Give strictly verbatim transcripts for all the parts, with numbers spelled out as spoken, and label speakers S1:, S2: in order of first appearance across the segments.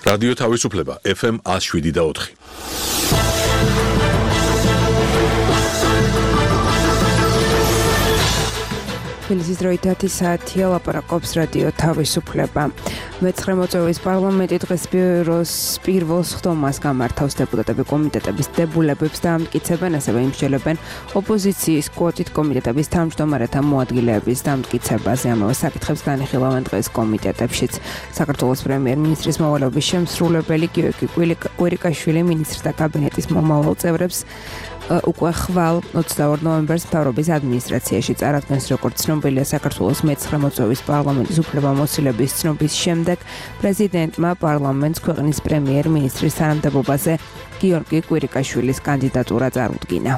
S1: რადიო თავისუფლება ეფ ემ one oh seven და four.
S2: თბილისის დროით საათია ლაპარაკობს რადიო თავისუფლება. მეცხრე მოწვევის პარლამენტი დღეს ბიუროს პირველ სხდომას გამართავს დეპუტატები კომიტეტების დებულებებს დაამტკიცებენ, ასევე იმსჯელებენ ოპოზიციის კვოტით კომიტეტების თავმჯდომარეთა მოადგილეების დამტკიცებაზე. ამავე საკითხებს განიხილავენ დღეს კომიტეტებშიც. საქართველოს პრემიერ-მინისტრის მოვალეობის შემსრულებელი გიორგი კვირიკაშვილი მინისტრთა კაბინეტის მომავალ წევრებს უკვე ხვალ ოცდაორ ნოემბერს მთავრობის ადმინისტრაციაში წარადგენს, როგორც ცნობილია საქართველოს მეცხრე მოწვევის პარლამენტის უფლებამოსილების ცნობის შემდეგ პრეზიდენტმა პარლამენტს ქვეყნის პრემიერ-მინისტრის თანამდებობაზე გიორგი კვირიკაშვილის კანდიდატურა წარუდგინა.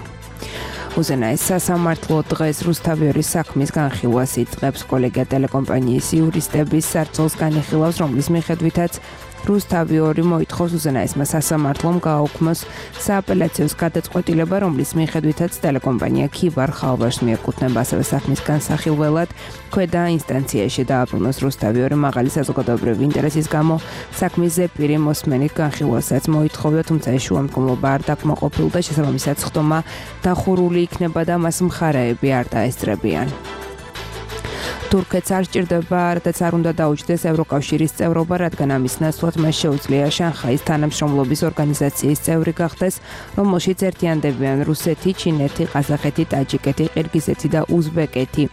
S2: უზენაეს სასამართლო დღეს რუსთავიორის საქმის განხილვას იწყებს. კოლეგია ტელეკომპანიის იურისტების სარწმუნოს განიხილავს, რომლის მიხედვითაც რუსთავიორი მოითხოვს უზენაესმა სასამართლომ გააუქმოს სააპელაციო გადაწყვეტილება, რომლის მიხედვითაც ტელეკომპანია ქიბარ ხალვაშს მიეკუთვნება. ასევე საქმის განსახილველად ქვედა ინსტანციაში დააბრუნოს რუსთავიორი მაღალი საზოგადოებრივი ინტერესის გამო საქმის ზეპირი მოსმენით განხილვასაც მოითხოვდა, თუმცა ეს შუამდგომლობა არ დაკმაყოფილდა, შესაბამისად სხდომა დახურული იქნება და მას მხარეები არ დაესწრებიან. თურქეთს არ სჭირდება, რადგან არ უნდა დაუჯდეს ევროკავშირის წევრობა, რადგან ამის ნაცვლად მას შეუძლია შანხაის თანამშრომლობის ორგანიზაციის წევრი გახდეს, რომელშიც ერთიანდებიან რუსეთი, ჩინეთი, ყაზახეთი, ტაჯიკეთი, ყირგიზეთი და უზბეკეთი.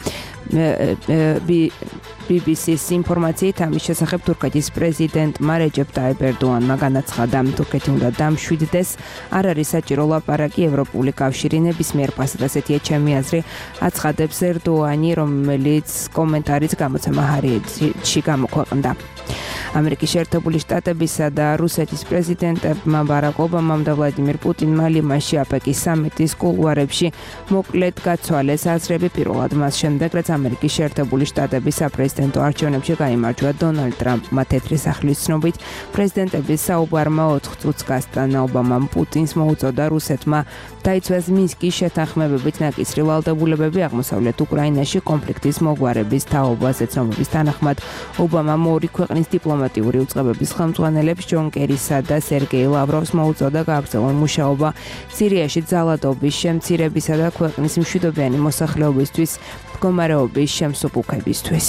S2: ბი ბი სის ინფორმაციით ამის შესახებ თურქეთის პრეზიდენტმა რეჯეპ ტაიპ ერდოანმა განაცხადა, თურქეთი უნდა დამშვიდდეს, არ არის საჭირო ლაპარაკი, ევროპული კავშირი ნებისმიერ ფასად, ასეთია ჩემი აზრი, აცხადებს ერდოანი, რომელიც კომენტარიც გამოცემა ჰარიეთში გამოქვეყნდა. ამერიკის შეერთებული შტატებისა და რუსეთის პრეზიდენტებმა ბარაკ ობამამ და ვლადიმირ პუტინმა ლიმანში აპეკის სამიტის კულუარებში მოკლედ გაცვალეს აზრები, პირველად მას შემდეგ, რაც ამერიკის შეერთებული შტატების საპრეზიდენტო არჩევნებში გაიმარჯვა დონალდ ტრამპმა. თეთრი სახლის ცნობით პრეზიდენტების საუბარმა ოთხ წუთს გასტანა. ობამამ პუტინს მოუწოდა რუსეთმა დაიცვას მინსკის შეთანხმებებით ნაკისრი ვალდებულებები აღმოსავლეთ უკრაინაში კონფლიქტის მოგვარების თაობაზე. ცნობების თანახმად ობამამ ორი ქვეყნის დიპლომატიური უწყებების ხელმძღვანელებს ჯონ კერისა და სერგეი ლავროვს მოუწოდა გააგრძელონ მუშაობა სირიაში ძალადობის შემცირებისა და ქვეყნის მშვიდობიანი მოსახლეობისთვის მდგომარეობის შემსუბუქებისთვის.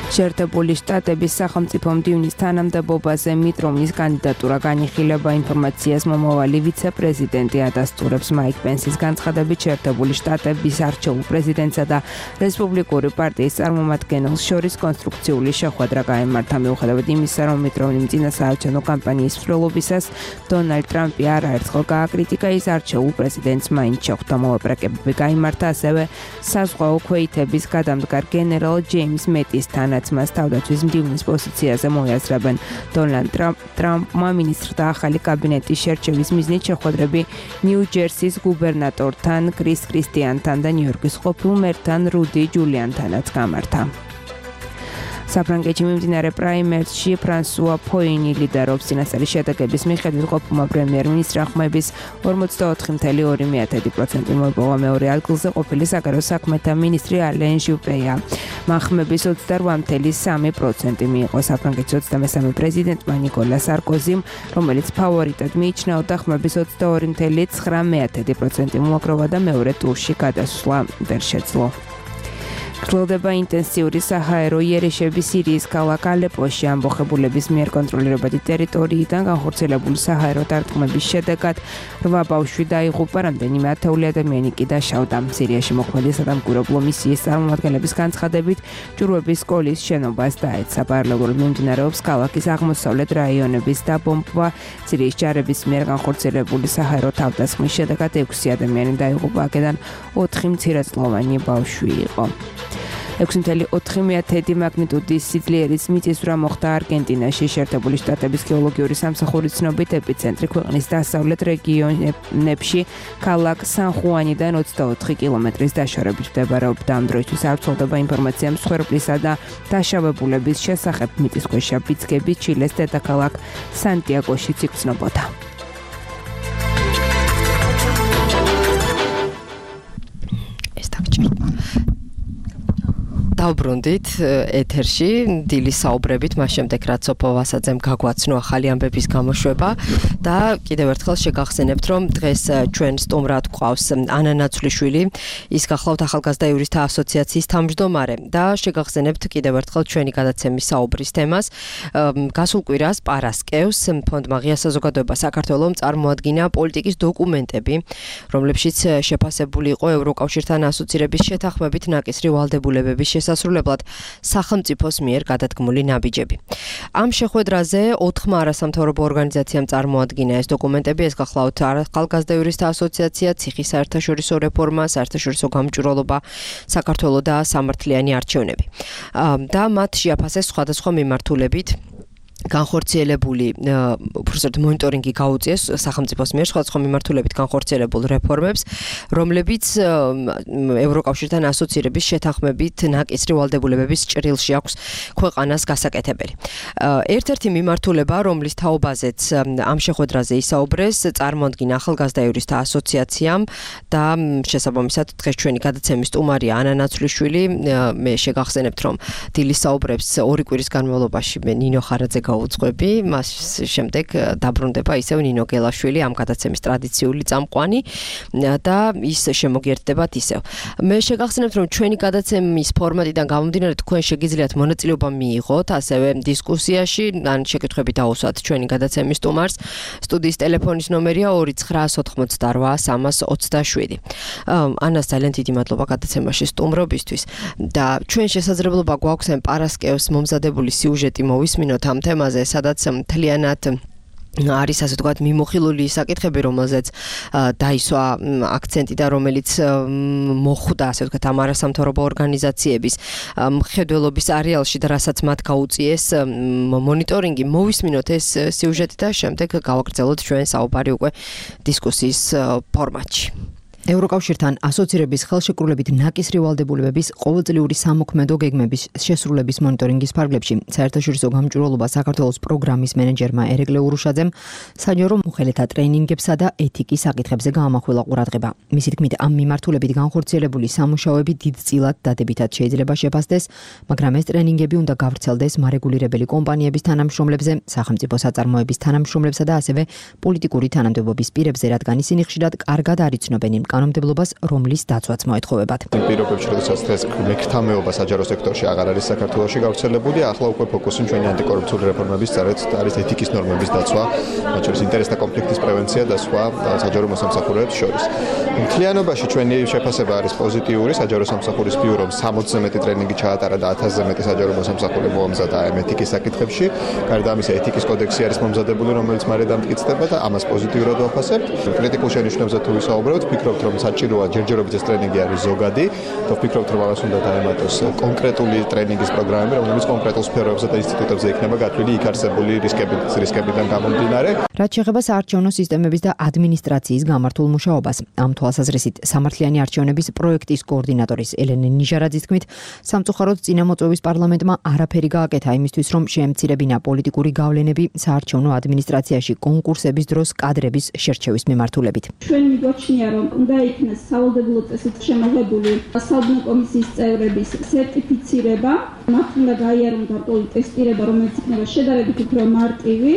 S2: შეერთებული შტატების სახელმწიფო მდივნის თანამდებობაზე მიტ რომნის კანდიდატურა განიხილება. ინფორმაციას მომავალი ვიცე-პრეზიდენტი ადასტურებს. მაიკ პენსის განცხადებით შეერთებული შტატების არჩეულ პრეზიდენტსა და რესპუბლიკური პარტიის წარმომადგენელს შორის კონსტრუქციული შეხვედრა გაიმართა. მიუხედავად იმისა, რომ მიტ რომნიმ წინა საარჩევნო კამპანიის მსვლელობისას დონალდ ტრამპი არაერთხელ გააკრიტიკა, ის არჩეულ პრეზიდენტს მაინც შეხვდა. მოლაპარაკებები გაიმართა ასევე საზღვაო ქვეითების გადამდგარ გენერალ ჯეიმს მეტისთან, მას თავდაცვის მდივნის პოზიციაზე მოიაზრებენ. დონალდ ტრამპმა მინისტრთა ახალი კაბინეტის შერჩევის მიზნით შეხვედრები ნიუ-ჯერსის გუბერნატორთან კრის კრისტიანთან და ნიუ-იორკის ყოფილ მერთან რუდი ჯულიანთანაც გამართა. საფრანგეთში მიმდინარე პრაიმერში ფრანსუა ფოინი ლიდერობს. წინასწარი შედეგების მიხედვით ყოფილმა პრემიერ-მინისტრმა ხმების ორმოცდაოთხი ფاصლე ორი პროცენტი მოიპოვა. მეორე ადგილზე ყოფილი საგარეო საქმეთა მინისტრი ალენ ჟუპეა. მან ხმების ოცდარვა ფاصლე სამი პროცენტი მიიღო. საფრანგეთის ოცდამესამე პრეზიდენტმა ნიკოლა სარკოზიმ, რომელიც ფავორიტად მიიჩნეოდა, ხმების ოცდაორი ფاصლე ცხრა პროცენტი მოაგროვა და მეორე ტურში გადასვლა ვერ შეძლო. გრძელდება ინტენსიური საჰაერო იერიში სირიის ქალაქ ალეპოში. ამბოხებულების მიერ კონტროლირებადი ტერიტორიიდან განხორციელებული საჰაერო დარტყმების შედეგად რვა ბავშვი დაიღუპა, რამდენიმე ათეული ადამიანი კი დაშავდა. სირიაში მოქმედი სადამკვირვებლო მისიის წარმომადგენლების განცხადებით, ჯვრების სკოლის შენობას დაეცა. პარალელურად მიმდინარეობს ქალაქის აღმოსავლეთ რაიონების დაბომბვა. სირიის ჯარების მიერ განხორციელებული საჰაერო თავდასხმის შედეგად ექვსი ადამიანი დაიღუპა, აქედან ოთხი მცირეწლოვანი ბავშვი იყო. ექვსი ფاصლე ოთხი მაგნიტუდის სიძლიერის მიწისძვრა მოხდა არგენტინაში. შეერთებული შტატების გეოლოგიური სამსახურის ცნობით ეპიცენტრი ქვეყნის დასავლეთ რეგიონებში ქალაქ სან-ხუანიდან ოცდაოთხი კილომეტრის დაშორებით მდებარეობდა. ამ დროისთვის არ ვრცელდება ინფორმაცია მსხვერპლისა და დაშავებულების შესახებ. მიწისქვეშა ბიძგები ჩილეს დედაქალაქ სანტიაგოშიც იგრძნობოდა.
S3: დავბრუნდით ეთერში დილის საუბრებით, მას შემდეგ რაც სოფო ვასაძემ გაგვაცნო ახალი ამბების გამოშვება და კიდევ ერთხელ შეგახსენებთ, რომ დღეს ჩვენ სტუმრად გვყავს ანა ნაცვლიშვილი, ის გახლავთ ახალგაზრდა იურისტთა ასოციაციის თავმჯდომარე და შეგახსენებთ კიდევ ერთხელ ჩვენი გადაცემის საუბრის თემას. გასულ კვირას პარასკევს ფონდმა ღია საზოგადოება საქართველოს წარმოადგინა პოლიტიკის დოკუმენტები, რომლებშიც შეფასებული იყო ევროკავშირთან ასოცირების შეთანხმებით ნაკისრი ვალდებულებების შესასრულებლად სახელმწიფოს მიერ გადადგმული ნაბიჯები. ამ შეხვედრაზე ოთხმა არასამთავრობო ორგანიზაციამ წარმოადგინა ეს დოკუმენტები, ეს გახლავთ ახალგაზრდა იურისტთა ასოციაცია, ციხის საერთაშორისო რეფორმა, საერთაშორისო გამჭვირვალობა, საქართველოს და სამართლიანი არჩევნები. და მათ შეაფასეს სხვადასხვა მიმართულებით განხორციელებული უბრალოდ მონიტორინგი გაუწიეს სახელმწიფოს მიერ სხვადასხვა მიმართულებით განხორციელებულ რეფორმებს, რომლებიც ევროკავშირთან ასოცირების შეთანხმებით ნაკისრი ვალდებულებების ჭრილში აქვს ქვეყანას გასაკეთებელი. ერთ-ერთი მიმართულება, რომლის თაობაზეც ამ შეხვედრაზე ისაუბრეს, წარმოადგინა ახალგაზრდა იურისტთა ასოციაციამ და შესაბამისად დღეს ჩვენი გადაცემის სტუმარია ანა ნაცვლიშვილი. მე შეგახსენებთ, რომ დილის საუბრებს ორი კვირის განმავლობაში მე ნინო ხარაძე უძღვები, მას შემდეგ დაბრუნდება ისევ ნინო გელაშვილი, ამ გადაცემის ტრადიციული წამყვანი და ის შემოგიერთდებათ ისევ. მე შეგახსენებთ, რომ ჩვენი გადაცემის ფორმატიდან გამომდინარე თქვენ შეგიძლიათ მონაწილეობა მიიღოთ ასევე დისკუსიაში, ან შეკითხვები დაუსვათ ჩვენი გადაცემის სტუმარს. სტუდიის ტელეფონის ნომერია ორი ცხრა ოთხმოცდარვა სამას ოცდაშვიდი. ანას ძალიან დიდი მადლობა გადაცემაში სტუმრობისთვის და ჩვენ შესაძლებლობა გვაქვს ამ პარასკევს მომზადებული სიუჟეტი მოვისმინოთ ამ თემაზე, სადაც მთლიანად არის ასე ვთქვათ მიმოხილული საკითხები, რომელზეც დაისვა აქცენტი და რომელიც მოხვდა ასე ვთქვათ ამ არასამთავრობო ორგანიზაციების მხედველობის არეალში და რასაც მათ გაუწიეს მონიტორინგი. მოვისმინოთ ეს სიუჟეტი და შემდეგ გავაგრძელოთ ჩვენ საუბარი უკვე დისკუსიის ფორმატში. ევროკავშირთან ასოცირების ხელშეკრულებით ნაკისრი ვალდებულებების ყოველწლიური სამოქმედო გეგმების შესრულების მონიტორინგის ფარგლებში საერთაშორისო გამჭვირვალობა საქართველოს პროგრამის მენეჯერმა ერეკლე ურუშაძემ საჯარო მოხელეთა ტრეინინგებსა და ეთიკის საკითხებზე გაამახვილა ყურადღება. მისი თქმით, ამ მიმართულებით განხორციელებული სამუშაოები დიდწილად დადებითად შეიძლება შეფასდეს, მაგრამ ეს ტრეინინგები უნდა გავრცელდეს მარეგულირებელი კომპანიების თანამშრომლებზე, სახელმწიფო საწარმოების თანამშრომლებსა და ასევე პოლიტიკური თანამდებობის პირებზე, რადგან ისინი ხშირად კარგად არ იცნობენ იმ კანონმდებლობას, რომლის დაცვაც მოეთხოვებათ.
S4: პირობებში, როდესაც დღეს მექრთამეობა საჯარო სექტორში აღარ არის საქართველოში გავრცელებული, ახლა უკვე ფოკუსი ჩვენი ანტიკორუფციული რეფორმების წარეთ არის ეთიკის ნორმების დაცვა, მათ შორის ინტერესთა კონფლიქტის პრევენცია და სხვა საჯარო მოსამსახურეებს შორის. მთლიანობაში ჩვენი შეფასება არის პოზიტიური, საჯარო სამსახურის ბიურომ სამოცზე მეტი ტრეინინგი ჩაატარა და ათასზე მეტი საჯარო მოსამსახურე მოამზადა ამ ეთიკის საკითხებში. გარდა ამისა, ეთიკის კოდექსი არის მომზადებული, რომელიც მალე დამტკიცდება და ამას პოზიტიურად ვაფასებთ. კრიტიკულ შენიშვნებზე თუ ვისაუბრებთ, ვფიქრობთ, რომ საჭიროა ჯერჯერობით ეს ტრეინინგი არის ზოგადი და ვფიქრობთ, რომ ამას უნდა დაემატოს კონკრეტული ტრეინინგის პროგრამები, რომლებიც კონკრეტულ სფეროებზე და ინსტიტუტებზე იქნება გათვლილი იქ არსებული რისკებით, რისკებიდან გამომდინარე.
S2: რაც შეეხება საარჩევნო სისტემების და ადმინისტრაციის გამართულ მუშაობას, ამ თვალსაზრისით სამართლიანი არჩევნების პროექტის კოორდინატორის ელენე ნიჟარაძის თქმით, სამწუხაროდ წინამოწვევის პარლამენტმა არაფერი გააკეთა იმისთვის, რომ შეემცირებინა პოლიტიკური გავლენები საარჩევნო ადმინისტრაციაში კონკურსების დროს კადრების შერჩევის მიმართულებით.
S5: ჩვენ მიგოჩნია, რომ უნდა იქნეს სავალდებულო წესით შემოღებული საუბნო კომისიის წევრების სერტიფიცირება, მათ უნდა გაიარონ გარკვეული ტესტირება, რომელიც იქნება შედარებით უფრო მარტივი,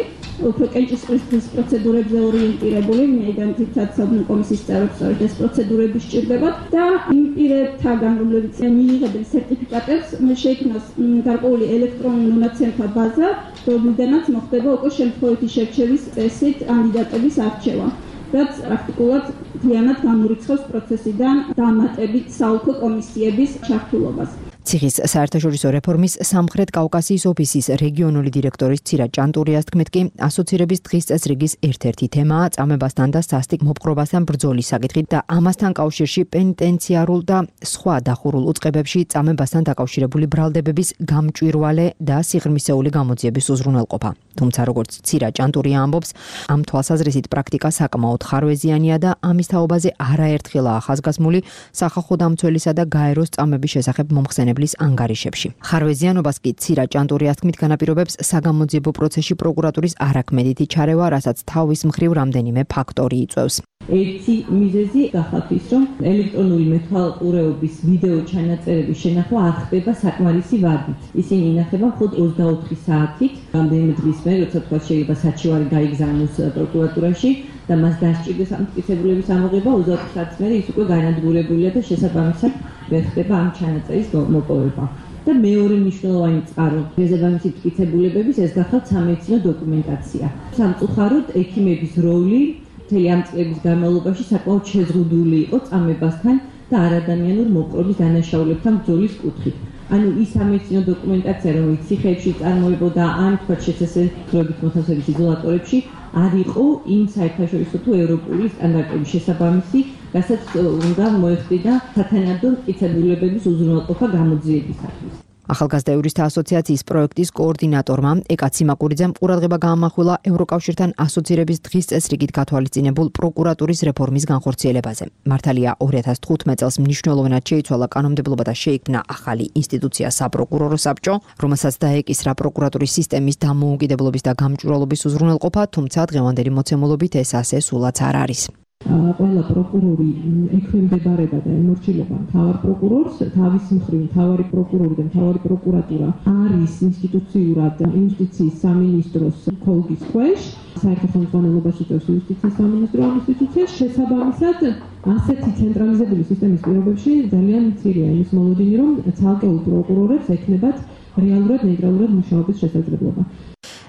S5: უფრო კენჭისყრის პროცედურებზე ორიენტირებული, ვინაიდან თითქოს საუბნო კომისიის წევრებს ეს პროცედურები სჭირდებათ და იმ პირებთაგან, რომლებიც მიიღებენ სერტიფიკატებს, შეიქმნას გარკვეული ელექტრონული მონაცემთა ბაზა, რომლიდანაც მოხდება უკვე შემთხვევითი შერჩევის წესით კანდიდატების არჩევა. რაც პრაქტიკულად მთლიანად გამორიცხავს პროცესიდან დამატებით საოლქო კომისიების ჩართულობას.
S2: ციხის საერთაშორისო რეფორმის სამხრეთ კავკასიის ოფისის რეგიონული დირექტორის ცირა ჭანტურიას თქმით კი, ასოცირების დღის წესრიგის ერთ-ერთი თემაა წამებასთან და სასტიკ მოპყრობასთან ბრძოლის საკითხი და ამასთან კავშირში პენიტენციარულ და სხვა დახურულ უწყებებში წამებასთან დაკავშირებული ბრალდებების გამჭვირვალე და სიღრმისეული გამოძიების უზრუნველყოფა. თუმცა როგორც ცირა ჭანტურია ამბობს, ამ თვალსაზრისით პრაქტიკა საკმაოდ ხარვეზიანია და ამის თაობაზე არაერთხელაა ახასგასმული სახალხო დამცველისა და გაეროს წამების შესახებ მომხსენებლის ანგარიშებში. ხარვეზიანობას კი ცირა ჭანტურიას თქმით განაპირობებს საგამოძიებო პროცესში პროკურატურის არაქმედითი ჩარევა, რასაც თავის მხრივ რამდენიმე ფაქტორი იწვევს.
S6: ერთი მიზეზი გახავთ ის, რომ ელექტრონული მეთვალყურეობის ვიდეო ჩანაწერების შენახვა არ ხდება საკმარისი ვადით. ისინი ინახება მხოლოდ ოცდაოთხი საათით, რამდენიმე დღის მერე, როცა თქვა შეიძლება საჩივარი გაიგზავნოს პროკურატურაში და მას დასჭირდეს ამტკიცებულების ამოღება, ოცდაოთხი საათის მერე ის უკვე განადგურებულია და შესაბამისად ვერ ხდება ამ ჩანაწერის მოპოვება. და მეორე მნიშვნელოვანი წყარო შესაბამისი მტკიცებულებების ეს გახავთ სამედიცინო დოკუმენტაცია. სამწუხაროდ ექიმების როლი მთელი ამ წლების განმავლობაში საკმაოდ შეზღუდული იყო წამებასთან და არადამიანურ მოპყრობის დანაშაულებთან ბრძოლის კუთხით. ანუ ის სამედიცინო დოკუმენტაცია, რომელიც ციხეებში წარმოებოდა ან თქვა შესაძლებლობით მოთავსების იზოლატორებში, არ იყო იმ საერთაშორისო თუ ევროპული სტანდარტების შესაბამისი, რასაც უნდა მოეხდინა სათანადო მტკიცებულებების უზრუნველყოფა გამოძიებისათვის.
S2: ახალგაზრდა იურისტთა ასოციაციის პროექტის კოორდინატორმა ეკა ციმაკურიძემ ყურადღება გაამახვილა ევროკავშირთან ასოცირების დღის წესრიგით გათვალისწინებულ პროკურატურის რეფორმის განხორციელებაზე. მართალია ორი ათას თხუთმეტ წელს მნიშვნელოვნად შეიცვალა კანონმდებლობა და შეიქმნა ახალი ინსტიტუცია საპროკურორო საბჭო, რომელსაც დაეკისრა პროკურატურის სისტემის დამოუკიდებლობის და გამჭვირვალობის უზრუნველყოფა, თუმცა დღევანდელი მოცემულობით ეს ასე სულაც არ არის.
S6: ყველა პროკურორი ექვემდებარება და ემორჩილება მთავარ პროკურორს, თავის მხრივ მთავარი პროკურორი და მთავარი პროკურატურა არის ინსტიტუციურად იუსტიციის სამინისტროს ხოლგის ქვეშ, საერთო ხელმძღვანელობას იწვევს იუსტიციის სამინისტრო ამ ინსტიტუციას, შესაბამისად ასეთი ცენტრალიზებული სისტემის პირობებში ძალიან მცირეა იმის მოლოდინი, რომ ცალკეულ პროკურორებს ექნებათ რეალურად ნეიტრალურად მუშაობის შესაძლებლობა.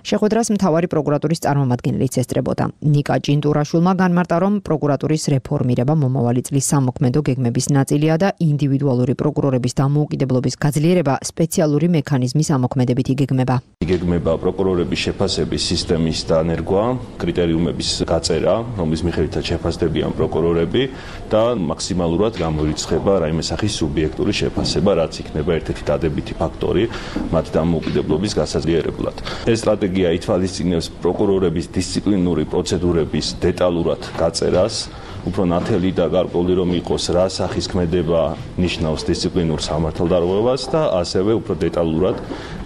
S2: შეხვედრას მთავარი პროკურატურის წარმომადგენლიც ესწრებოდა. ნიკა ჭინტურაშვილმა განმარტა, რომ პროკურატურის რეფორმირება მომავალი წლის სამოქმედო გეგმების ნაწილია და ინდივიდუალური პროკურორების დამოუკიდებლობის გაძლიერება სპეციალური მექანიზმის ამოქმედებით იგეგმება.
S7: იგეგმება პროკურორების შეფასების სისტემის დანერგვა, კრიტერიუმების გაწერა, რომლის მიხედვითაც შეფასდებიან პროკურორები და მაქსიმალურად გამოირიცხება რაიმე სახის სუბიექტური შეფასება, რაც იქნება ერთ-ერთი დადებითი ფაქტორი მათ დამოუკიდებლობის გასაძლიერებლად. ეს სტრატეგია ითვალისწინებს პროკურორების დისციპლინური პროცედურების დეტალურად გაწერას, უფრო ნათელი და გარკვეული რომ იყოს, რა სახის ქმედება ნიშნავს დისციპლინურ სამართალდარღვევას და ასევე უფრო დეტალურად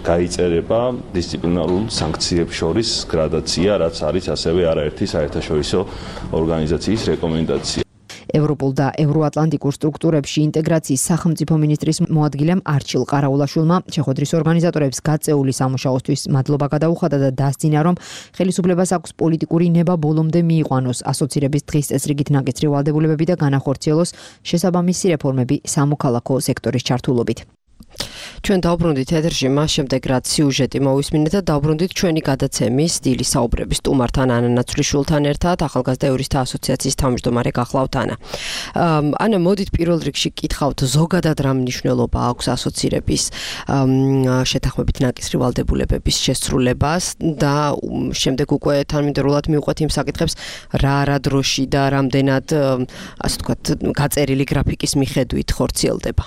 S7: გაიწერება დისციპლინარულ სანქციებს შორის გრადაცია, რაც არის ასევე არაერთი საერთაშორისო ორგანიზაციის რეკომენდაცია.
S2: ევროპულ და ევროატლანტიკურ სტრუქტურებში ინტეგრაციის სახელმწიფო მინისტრის მოადგილემ არჩილ ყარაულაშვილმა შეხვედრის ორგანიზატორებს გაწეული სამუშაოსთვის მადლობა გადაუხადა და დასძინა, რომ ხელისუფლებას აქვს პოლიტიკური ნება ბოლომდე მიიყვანოს ასოცირების დღის წესრიგით ნაკისრი ვალდებულებები და განახორციელოს შესაბამისი რეფორმები სამოქალაქო სექტორის ჩართულობით.
S3: ჩვენ დავბრუნდით ეთერში მას შემდეგ, რაც სიუჟეტი მოვისმინეთ და დავბრუნდით ჩვენი გადაცემის სტილი საუბრების სტუმართან ანა ნაცვლიშვილთან ერთად, ახალგაზრდა იურისტთა ასოციაციის თავმჯდომარე გახლავთ ანა. ანა, მოდით პირველ რიგში კითხავთ, ზოგადად რა მნიშვნელობა აქვს ასოცირების შეთანხმებით ნაკისრი ვალდებულებების შესრულებას და შემდეგ უკვე თანმიმდევრულად მივყვეთ იმ საკითხებს, რა რა დროში და რამდენად, ასე ვთქვათ, გაწერილი გრაფიკის მიხედვით ხორციელდება.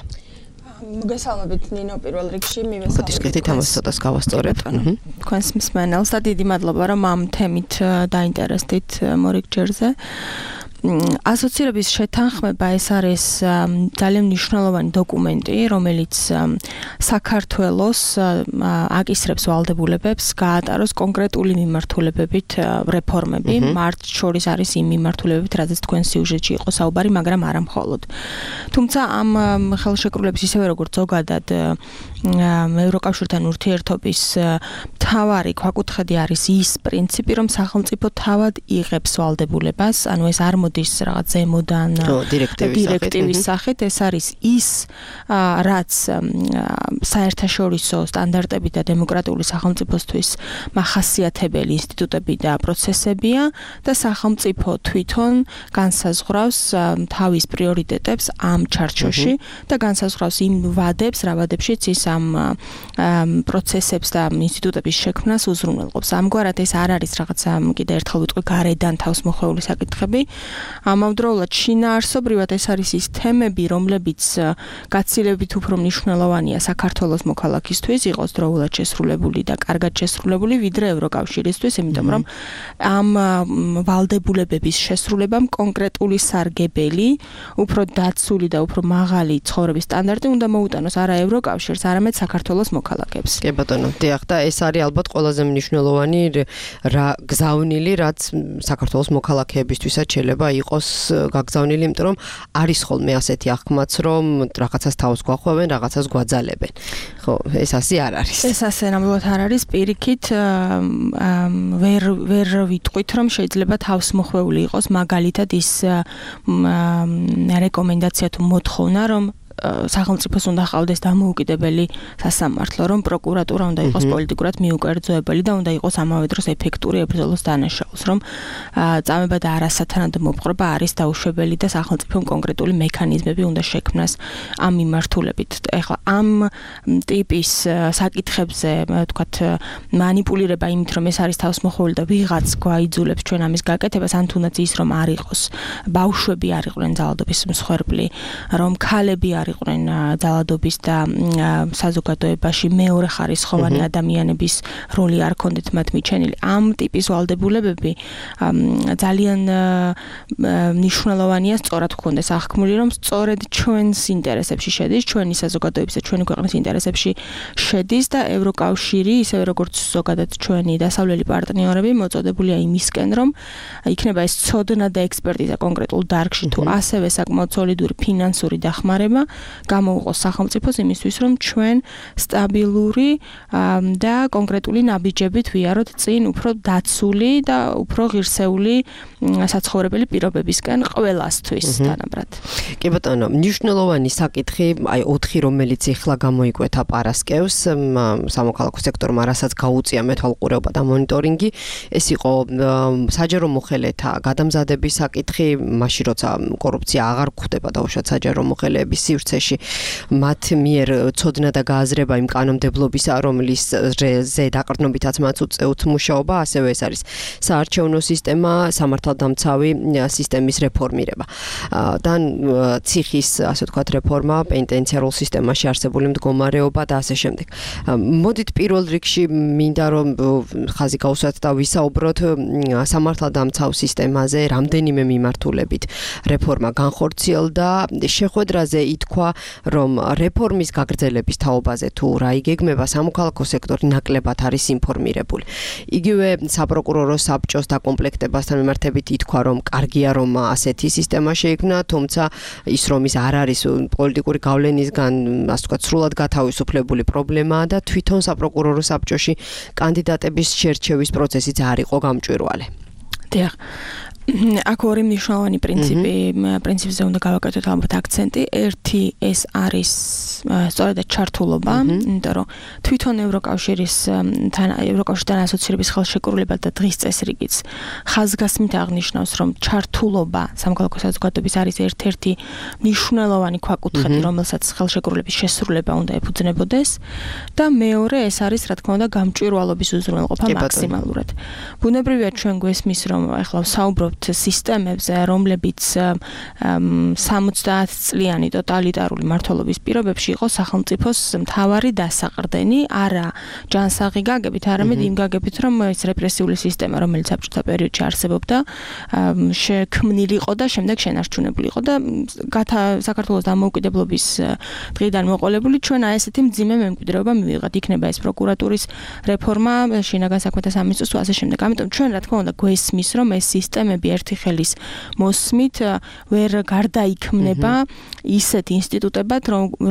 S8: მოგესალმებით ნინო პირველ რიგში მივესალმებით.
S3: დისკრეტით ამას ცოტას გავასწორებთ.
S8: თქვენს მსმენელს და დიდი მადლობა რომ ამ თემით დაინტერესდით მორიგ ჯერზე. ასოცირების შეთანხმება ეს არის ძალიან მნიშვნელოვანი დოკუმენტი, რომელიც საქართველოს აკისრებს ვალდებულებებს გაატაროს კონკრეტული მიმართულებებით რეფორმები. მართ შორის არის იმ მიმართულებებით, რადგან თქვენ სიუჟეტში იყო საუბარი, მაგრამ არა მხოლოდ. თუმცა ამ ხელშეკრულების ისევე როგორც ზოგადად ევროკავშირთან ურთიერთობის მთავარი ქვაკუთხედი არის ის პრინციპი, რომ სახელმწიფო თავად იღებს ვალდებულებას, ანუ ეს არ მოდის რაღაც ზემოდან დირექტივის სახით, ეს არის ის, რაც საერთაშორისო სტანდარტები და დემოკრატიული სახელმწიფოსთვის მახასიათებელი ინსტიტუტები და პროცესებია და სახელმწიფო თვითონ განსაზღვრავს თავის პრიორიტეტებს ამ ჩარჩოში და განსაზღვრავს იმ ვადებს, რა ვადებშიც ის ამ პროცესებს და ინსტიტუტების შექმნას უზრუნველყოფს. ამგვარად ეს არ არის რაღაცა, კიდე ერთხელ ვიტყვი, გარედან თავს მოხვეული საკითხები. ამავდროულად შინაარსობრივად ეს არის ის თემები, რომლებიც გაცილებით უფრო მნიშვნელოვანია საქართველოს მოქალაქისთვის, იყოს დროულად შესრულებული და კარგად შესრულებული, ვიდრე ევროკავშირისთვის, იმიტომ რომ ამ ვალდებულებების შესრულებამ კონკრეტული სარგებელი, უფრო დაცული და უფრო მაღალი ცხოვრების სტანდარტი უნდა მოუტანოს არა ევროკავშირს, არამედ საქართველოს მოქალაქეებს.
S3: კი ბატონო, დიახ, და ეს არის ალბათ ყველაზე მნიშვნელოვანი რა გზავნილი, რაც საქართველოს მოქალაქეებისთვისაც შეიძლება იყოს გაგზავნილი, იმიტომ რომ არის ხოლმე ასეთი აღქმაც, რომ რაღაცას თავს გვახვევენ, რაღაცას გვაძალებენ. ხო, ეს ასე არ არის.
S8: ეს ასე ნამდვილად არ არის, პირიქით ვერ ვერ ვიტყვით, რომ შეიძლება თავს მოხვეული იყოს მაგალითად ის რეკომენდაცია თუ მოთხოვნა, რომ სახელმწიფოს უნდა ჰყავდეს დამოუკიდებელი სასამართლო, რომ პროკურატურა უნდა იყოს პოლიტიკურად მიუკერძოებელი და უნდა იყოს ამავე დროს ეფექტური ებრძოლოს დანაშაულს, რომ წამება და არასათანადო მოპყრობა არის დაუშვებელი და სახელმწიფომ კონკრეტული მექანიზმები უნდა შექმნას ამ მიმართულებით. ეხლა ამ ტიპის საკითხებზე, ვთქვათ, მანიპულირება იმით, რომ ეს არის თავსმოხვეული და ვიღაც გვაიძულებს ჩვენ ამის გაკეთებას, ან თუნდაც ის, რომ არ იყოს ბავშვები არ იყვნენ ძალადობის მსხვერპლი, რომ ქალები არ იყვნენ ძალადობის და საზოგადოებაში მეორე ხარისხოვანი ადამიანების როლი არ ქონდეთ მათ მიჩენილი. ამ ტიპის ვალდებულებები ძალიან მნიშვნელოვანია სწორად ჰქონდეს აღქმული, რომ სწორედ ჩვენს ინტერესებში შედის, ჩვენი საზოგადოების და ჩვენი ქვეყნის ინტერესებში შედის და ევროკავშირი, ისევე როგორც ზოგადად ჩვენი დასავლელი პარტნიორები მოწოდებულია იმისკენ, რომ იქნება ეს ცოდნა და ექსპერტიზა კონკრეტულ დარგში თუ ასევე საკმაოდ სოლიდური ფინანსური დახმარება გამოუყოს სახელმწიფოს იმისთვის, რომ ჩვენ სტაბილური და კონკრეტული ნაბიჯებით ვიაროთ წინ უფრო დაცული და უფრო ღირსეული საცხოვრებელი პირობებისკენ ყველასთვის თანაბრად.
S3: კი ბატონო, მნიშვნელოვანი საკითხი, აი ოთხი, რომელიც ეხლა გამოიკვეთა პარასკევს სამოქალაქო სექტორმა, რასაც გაუწია მეთვალყურეობა და მონიტორინგი, ეს იყო საჯარო მოხელეთა გადამზადების საკითხი, მაშინ როცა კორუფცია აღარ გვხვდება დაუშვათ საჯარო მოხელეების სივრცეში, მათ მიერ ცოდნა და გააზრება იმ კანონმდებლობისა, რომლის ზე დაყრდნობითაც მათ უწევთ მუშაობა, ასევე ეს არის საარჩევნო სისტემა, სამართალდამცავი სისტემის რეფორმირება. და ციხის, ასე ვთქვათ, რეფორმა, პენიტენციარულ სისტემაში არსებული მდგომარეობა და ასე შემდეგ. მოდით პირველ რიგში მინდა რომ ხაზი გავუსვათ და ვისაუბროთ სამართალდამცავ სისტემაზე, რამდენიმე მიმართულებით რეფორმა განხორციელდა, შეხვედრაზე ითქვა, რომ რეფორმის გაგრძელების თაობაზე თუ რა იგეგმება, სამოქალაქო სექტორი ნაკლებად არის ინფორმირებული. იგივე საპროკურორო საბჭოს დაკომპლექტებასთან მიმართებით ითქვა, რომ კარგია, რომ ასეთი სისტემა შეიქმნა, თუმცა ის რომ ის არ არის პოლიტიკური გავლენისგან, ასე ვთქვათ, სრულად გათავისუფლებული პრობლემაა და თვითონ საპროკურორო საბჭოში კანდიდატების შერჩევის პროცესიც არ იყო გამჭვირვალე.
S8: დიახ. აქ ორი მნიშვნელოვანი პრინციპი, პრინციპზე უნდა გავაკეთოთ ალბათ აქცენტი. ერთი ეს არის სწორედ ჩართულობა, იმიტომ რომ თვითონ ევროკავშირის თან ევროკავშირთან ასოცირების ხელშეკრულება და დღის წესრიგიც ხაზგასმით აღნიშნავს, რომ ჩართულობა სამოქალაქო საზოგადოების არის ერთ-ერთი მნიშვნელოვანი ქვაკუთხედი, რომელსაც ხელშეკრულების შესრულება უნდა ეფუძნებოდეს და მეორე ეს არის, რა თქმა უნდა, გამჭვირვალობის უზრუნველყოფა მაქსიმალურად. ბუნებრივია ჩვენ გვესმის, რომ ახლა ვსაუბრობთ სისტემებზე, რომლებიც სამოცდაათ წლიანი ტოტალიტარული მმართველობის პირობებში იყო სახელმწიფოს მთავარი დასაყრდენი, არა ჯანსაღი გაგებით, არამედ იმ გაგებით, რომ ეს რეპრესიული სისტემა, რომელიც საბჭოთა პერიოდში არსებობდა, შექმნილი იყო და შემდეგ შენარჩუნებული იყო და საქართველოს დამოუკიდებლობის დღიდან მოყოლებული ჩვენ აი ესეთი მძიმე მემკვიდრეობა მივიღეთ. იქნება ეს პროკურატურის რეფორმა, შინაგან საქმეთა სამინისტროს თუ ასე შემდეგ. ამიტომ ჩვენ რა თქმა უნდა გვესმის, რომ ეს სისტემები ერთი ხელის მოსმით ვერ გარდაიქმნება ისეთ ინსტიტუტებად,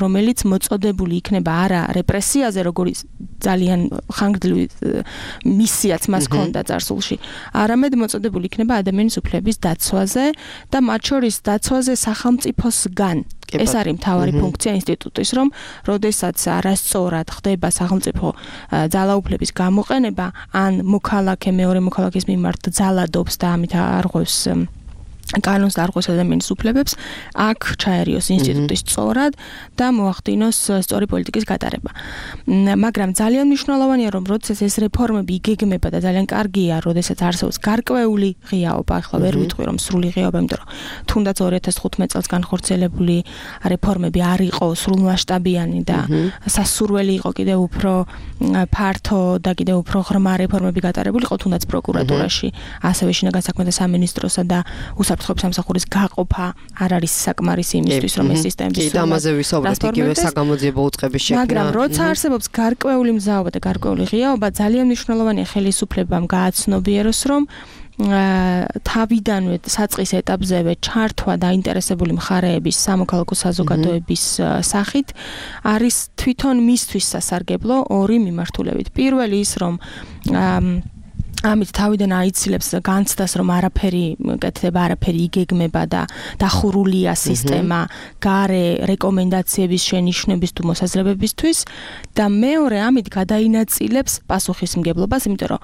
S8: რომელიც მოწოდებული იქნება არა რეპრესიაზე, როგორც ძალიან ხანგრძლივი მისიაც მას ჰქონდა წარსულში, არამედ მოწოდებული იქნება ადამიანის უფლების დაცვაზე და მათ შორის დაცვაზე სახელმწიფოსგან. ეს არის მთავარი ფუნქცია ინსტიტუტის, რომ როდესაც არასწორად ხდება სახელმწიფო ძალაუფლების გამოყენება, ან მოქალაქე მეორე მოქალაქის მიმართ ძალადობს და ამით არღვევს კანონს და არღვევს ადამიანის უფლებებს, აქ ჩაერიოს ინსტიტუტის სწორად და მოახდინოს სწორი პოლიტიკის გატარება. მაგრამ ძალიან მნიშვნელოვანია, რომ როდესაც ეს რეფორმები იგეგმება და ძალიან კარგია, როდესაც არსებობს გარკვეული ღიაობა, ახლა ვერ ვიტყვი რომ სრული ღიაობა, იმიტომ რომ თუნდაც ორი ათას თხუთმეტ წელს განხორციელებული რეფორმები არ იყო სრულმასშტაბიანი და სასურველი იყო კიდევ უფრო ფართო და კიდევ უფრო ღრმა რეფორმები გატარებული იყო თუნდაც პროკურატურაში, ასევე შინაგან საქმეთა სამინისტროსა და უსაფრთხოების სამსახურის გაყოფა არ არის საკმარისი იმისთვის, რომ ეს სისტემები
S3: კი, ამაზე ვისაუბრეთ, იგივე საგამოძიებო უწყების შექმნა.
S8: მაგრამ როცა არსებობს გარკვეული მზაობა და გარკვეული ღიაობა, ძალიან მნიშვნელოვანია ხელისუფლებამ გააცნობიეროს, რომ თავიდანვე საწყის ეტაპზევე ჩართვა დაინტერესებული მხარეების სამოქალაქო საზოგადოების სახით არის თვითონ მისთვის სასარგებლო ორი მიმართულებით. პირველი ის, რომ ამით თავიდან აიცილებს განცდას, რომ არაფერი კეთდება, არაფერი იგეგმება და დახურულია სისტემა გარე რეკომენდაციების შენიშვნების თუ მოსაზრებებისთვის და მეორე ამით გადაინაწილებს პასუხისმგებლობას, იმიტომ რომ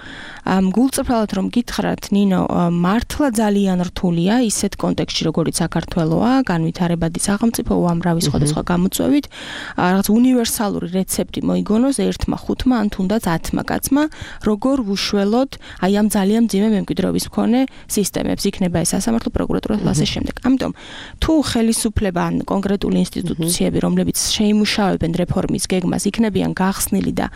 S8: გულწრფელად რომ გითხრათ, ნინო, მართლა ძალიან რთულია ისეთ კონტექსტში, როგორიც საქართველოა, განვითარებადი სახელმწიფო უამრავი სხვადასხვა გამოწვევით, რაღაც უნივერსალური რეცეპტი მოიგონოს ერთმა, ხუთმა ან თუნდაც ათმა კაცმა, როგორ უშველოთ აი ამ ძალიან მძიმე მემკვიდრეობის მქონე სისტემებს, იქნება ეს სასამართლო პროკურატურა და ასე შემდეგ. ამიტომ თუ ხელისუფლება ან კონკრეტული ინსტიტუციები, რომლებიც შეიმუშავებენ რეფორმის გეგმას, იქნებიან გახსნილი და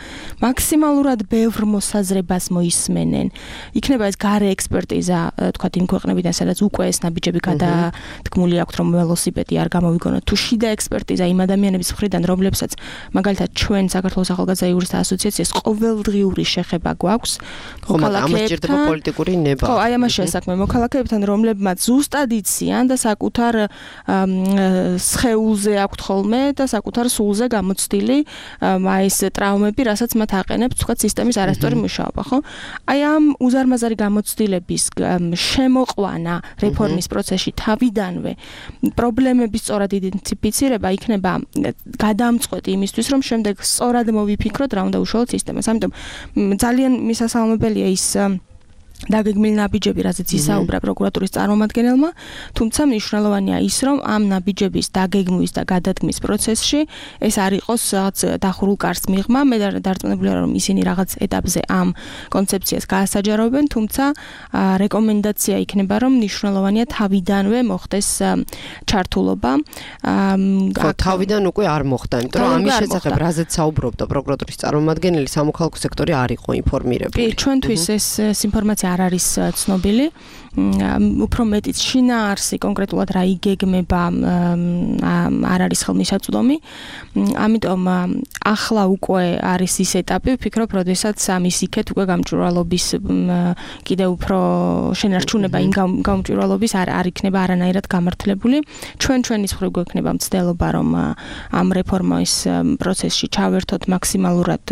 S8: მაქსიმალურად ბევრ მოსაზრებას მოისმენენ, იქნება ეს გარე ექსპერტიზა, თქვათ იმ ქვეყნებიდან, სადაც უკვე ეს ნაბიჯები გადადგმული აქვთ, რომ ველოსიპედი არ გამოვიგონოთ, თუ შიდა ექსპერტიზა იმ ადამიანების მხრიდან, რომლებსაც მაგალითად ჩვენ საქართველოს ახალგაზრდა იურისტთა ასოციაციას ყოველდღიური შეხება გვაქვს,
S3: ამას ჭირდება პოლიტიკური ნება.
S8: ხო, აი ამაშია საქმე მოქალაქეებთან, რომლებმაც ზუსტად იციან და საკუთარ სხეულზე აქვთ ხოლმე და საკუთარ სულზე გამოცდილი აი ეს ტრავმები, რასაც მათ აყენებს, თქვა სისტემის არასწორი მუშაობა, ხო? აი ამ უზარმაზარი გამოცდილების შემოყვანა რეფორმის პროცესში თავიდანვე პრობლემების სწორად იდენტიფიცირება იქნება გადამწყვეტი იმისთვის, რომ შემდეგ სწორად მოვიფიქროთ რა უნდა უშუალოდ სისტემას. ამიტომ ძალიან მისასალმებელია ის დაგეგმილი ნაბიჯები, რაზეც ისაუბრა პროკურატურის წარმომადგენელმა, თუმცა მნიშვნელოვანია ის, რომ ამ ნაბიჯების დაგეგმვის და გადადგმის პროცესში ეს არ იყოს რაღაც დახურულ კარს მიღმა. მე დარწმუნებულია, რომ ისინი რაღაც ეტაპზე ამ კონცეფციას გაასაჯაროებენ, თუმცა რეკომენდაცია იქნება, რომ მნიშვნელოვანია თავიდანვე მოხდეს ჩართულობა.
S3: ხო, თავიდან უკვე არ მოხდა, იმიტომ რომ ამის შესახებ რაზეც საუბრობდა პროკურატურის წარმომადგენელი, სამოქალაქო სექტორი არ იყო ინფორმირებული.
S8: კი, ჩვენთვის ეს ინფორმაცია არ არის ცნობილი. უფრო მეტიც შინაარსი კონკრეტულად რა იგეგმება არ არის ხელმისაწვდომი. ამიტომ ახლა უკვე არის ის ეტაპი, ვფიქრობ, როდესაც ამის იქეთ უკვე გამჭვირვალობის კიდე უფრო შენარჩუნება იმ გამჭვირვალობის არ არ იქნება არანაირად გამართლებული. ჩვენ ჩვენის მხრივ გვექნება მცდელობა, რომ ამ რეფორმის პროცესში ჩავერთოთ მაქსიმალურად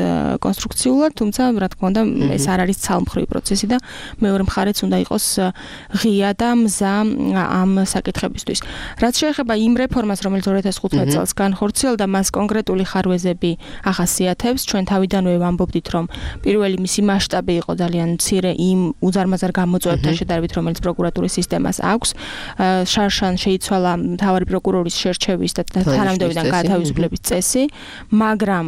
S8: კონსტრუქციულად, თუმცა რა თქმა უნდა ეს არ არის ცალმხრივი პროცესი და მეორე მხარეც უნდა იყოს ღია და მზა ამ საკითხებისთვის. რაც შეეხება იმ რეფორმას, რომელიც ორი ათას ხუთმეტ წელს განხორციელდა, მას კონკრეტული ხარვეზები ახასიათებს. ჩვენ თავიდანვე ვამბობდით, რომ პირველი მისი მასშტაბი იყო ძალიან მცირე იმ უზარმაზარ გამოწვევებთან შედარებით, რომელიც პროკურატურის სისტემას აქვს. შარშან შეიცვალა მთავარი პროკურორის შერჩევის და თანამდებობიდან გათავისუფლების წესი, მაგრამ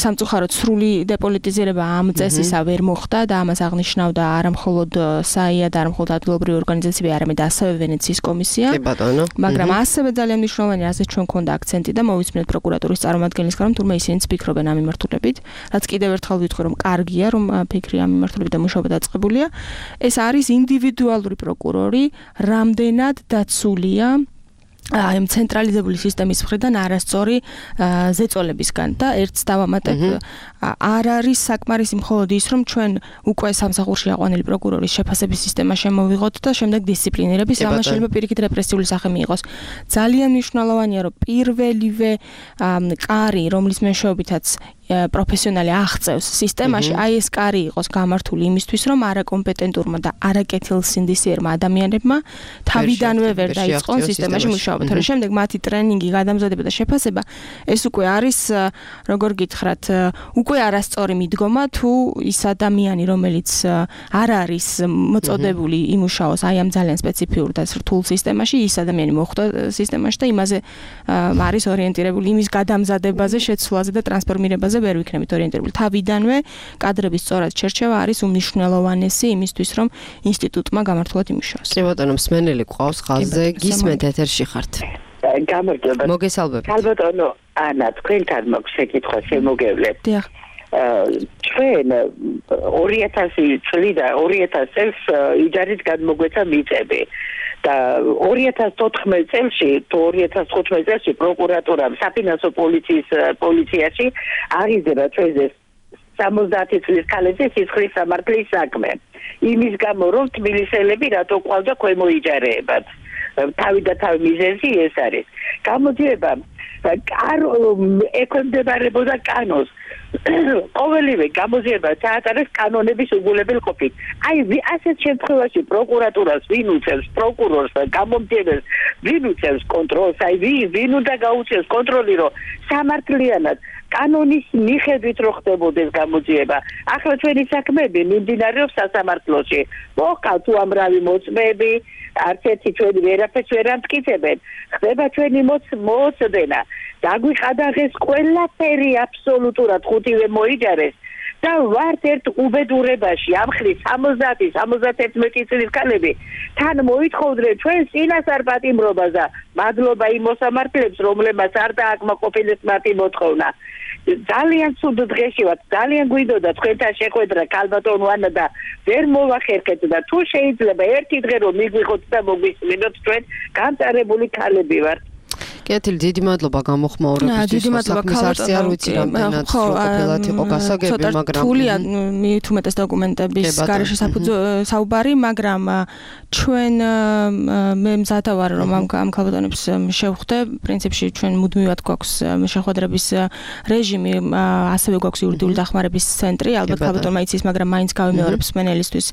S8: სამწუხაროდ სრული დეპოლიტიზირება ამ წესისა ვერ მოხდა და ამას აღნიშნავდა არა მხოლოდ საია და არა მხოლოდ ადგილობრივი ორგანიზაციები, არამედ ასევე ვენეციის კომისია. მაგრამ ასევე ძალიან მნიშვნელოვანია, ასე ჩვენ გვქონდა აქცენტი და მოვისმენთ პროკურატურის წარმომადგენლისგან, რომ თურმე ისინიც ფიქრობენ ამ მიმართულებით, რაც კიდევ ერთხელ ვიტყვი, რომ კარგია, რომ ფიქრი ამ მიმართულებით და მუშაობა დაწყებულია. ეს არის ინდივიდუალური პროკურორი, რამდენად დაცულია აი ამ ცენტრალიზებული სისტემის მხრიდან არასწორი ზეწოლებისგან და ერთს დავამატებ, არ არის საკმარისი მხოლოდ ის, რომ ჩვენ უკვე სამსახურში აყვანილი პროკურორის შეფასების სისტემა შემოვიღოთ და შემდეგ დისციპლინირების, ამას შეიძლება პირიქით რეპრესიული სახე მიიღოს. ძალიან მნიშვნელოვანია, რომ პირველივე კარი, რომლის მეშვეობითაც პროფესიონალი აღწევს სისტემაში, აი ეს კარი იყოს გამართული იმისთვის, რომ არაკომპეტენტურმა და არაკეთილსინდისიერმა ადამიანებმა თავიდანვე ვერ დაიწყონ სისტემაში მუშაობა. თორემ შემდეგ მათი ტრენინგი, გადამზადება და შეფასება, ეს უკვე არის, როგორ გითხრათ, უკვე არასწორი მიდგომა, თუ ის ადამიანი, რომელიც არ არის მოწოდებული იმუშაოს აი ამ ძალიან სპეციფიურ და რთულ სისტემაში, ის ადამიანი მოხვდა სისტემაში და იმაზე არის ორიენტირებული, იმის გადამზადებაზე, შეცვლაზე და ტრანსფორმირებაზე ვერ ვიქნებით ორიენტირებული. თავიდანვე კადრების სწორად შერჩევა არის უმნიშვნელოვანესი იმისთვის, რომ ინსტიტუტმა გამართულად იმუშაოს.
S3: კი ბატონო, მსმენელი ყავს ხაზზე, გისმენთ ეთერში ხართ.
S9: გამარჯობა.
S3: მოგესალმებით.
S9: ალბათო, ანა, თქვენთან მაქვს შეკითხვა შემოგევლებ.
S8: დიახ.
S9: ჩვენ ორი ათასი წლიდან ორი ათას წელს იჯარით გადმოგვეცა მიწები. და ორი ათას ოთხმეტ წელში, თუ ორი ათას ხუთმეტ წელში პროკურატურამ საფინანსო პოლიციის პოლიციაში აღიზრდა ჩვენზე სამოცდაათი წლის ქალებზე სისხლის სამართლის საქმე. იმის გამო რომ თბილისელები რატო ყავდა ქვემო იჯარეებად. თავი და თავი მიზეზი ეს არის. გამოძიება ექვემდებარებოდა კანონს. ყოველივე გამოძიება ჩაატარეს კანონების უგულებელ ყოფით. აი ასეთ შემთხვევაში პროკურატურას ვინ უწევს პროკურორს და გამომძიებელს ვინ უწევს კონტროლს, აი ვინ უნდა გაუწევს კონტროლი, რომ სამართლიანად კანონის მიხედვით რო ხდებოდეს გამოძიება. ახლა ჩვენი საქმეები მიმდინარეობს სასამართლოში. მოყავთ უამრავი მოწმეები, არც ერთი ჩვენი ვერაფერს ვერ ამტკიცებენ. ხდება ჩვენი მოწმენა. დაგვიყადაღეს ყველაფერი აბსოლუტურად ხუთივე მოიჯარეს და ვართ ერთ უბედურებაში ამხრივ სამოცდაათი სამოცდაათი წლის ქალები თან მოითხოვდნენ ჩვენს წინასწარ პატიმრობას და მადლობა იმ მოსამართლეებს რომლებმაც არ დააკმაყოფილეს მათი მოთხოვნა. ძალიან ცუდ დღეში ვართ, ძალიან გვინდოდა თქვენთან შეხვედრა ქალბატონო ანა და ვერ მოვახერხეთ და თუ შეიძლება ერთი დღე რომ მიგვიღოთ და მოგვისმინოთ ჩვენ განწარებული ქალები ვართ.
S3: კეთილი, დიდი მადლობა გამოხმაურებისთვის.
S8: დიდი მადლობა
S3: ქალბატონო. არ ვიცი რამდენად სრულყოფილად იყო გასაგები, მაგრამ
S8: თულია მით უმეტეს დოკუმენტების გარეშე საუბარი, მაგრამ ჩვენ მე მზადა ვარ რომ ამ ამ ქალბატონებს შევხვდე. პრინციპში ჩვენ მუდმივად გვაქვს შეხვედრების რეჟიმი, ასევე გვაქვს იურიდიული დახმარების ცენტრი. ალბათ ქალბატონმა იცის, მაგრამ მაინც გავიმეორებ სმენელისთვის.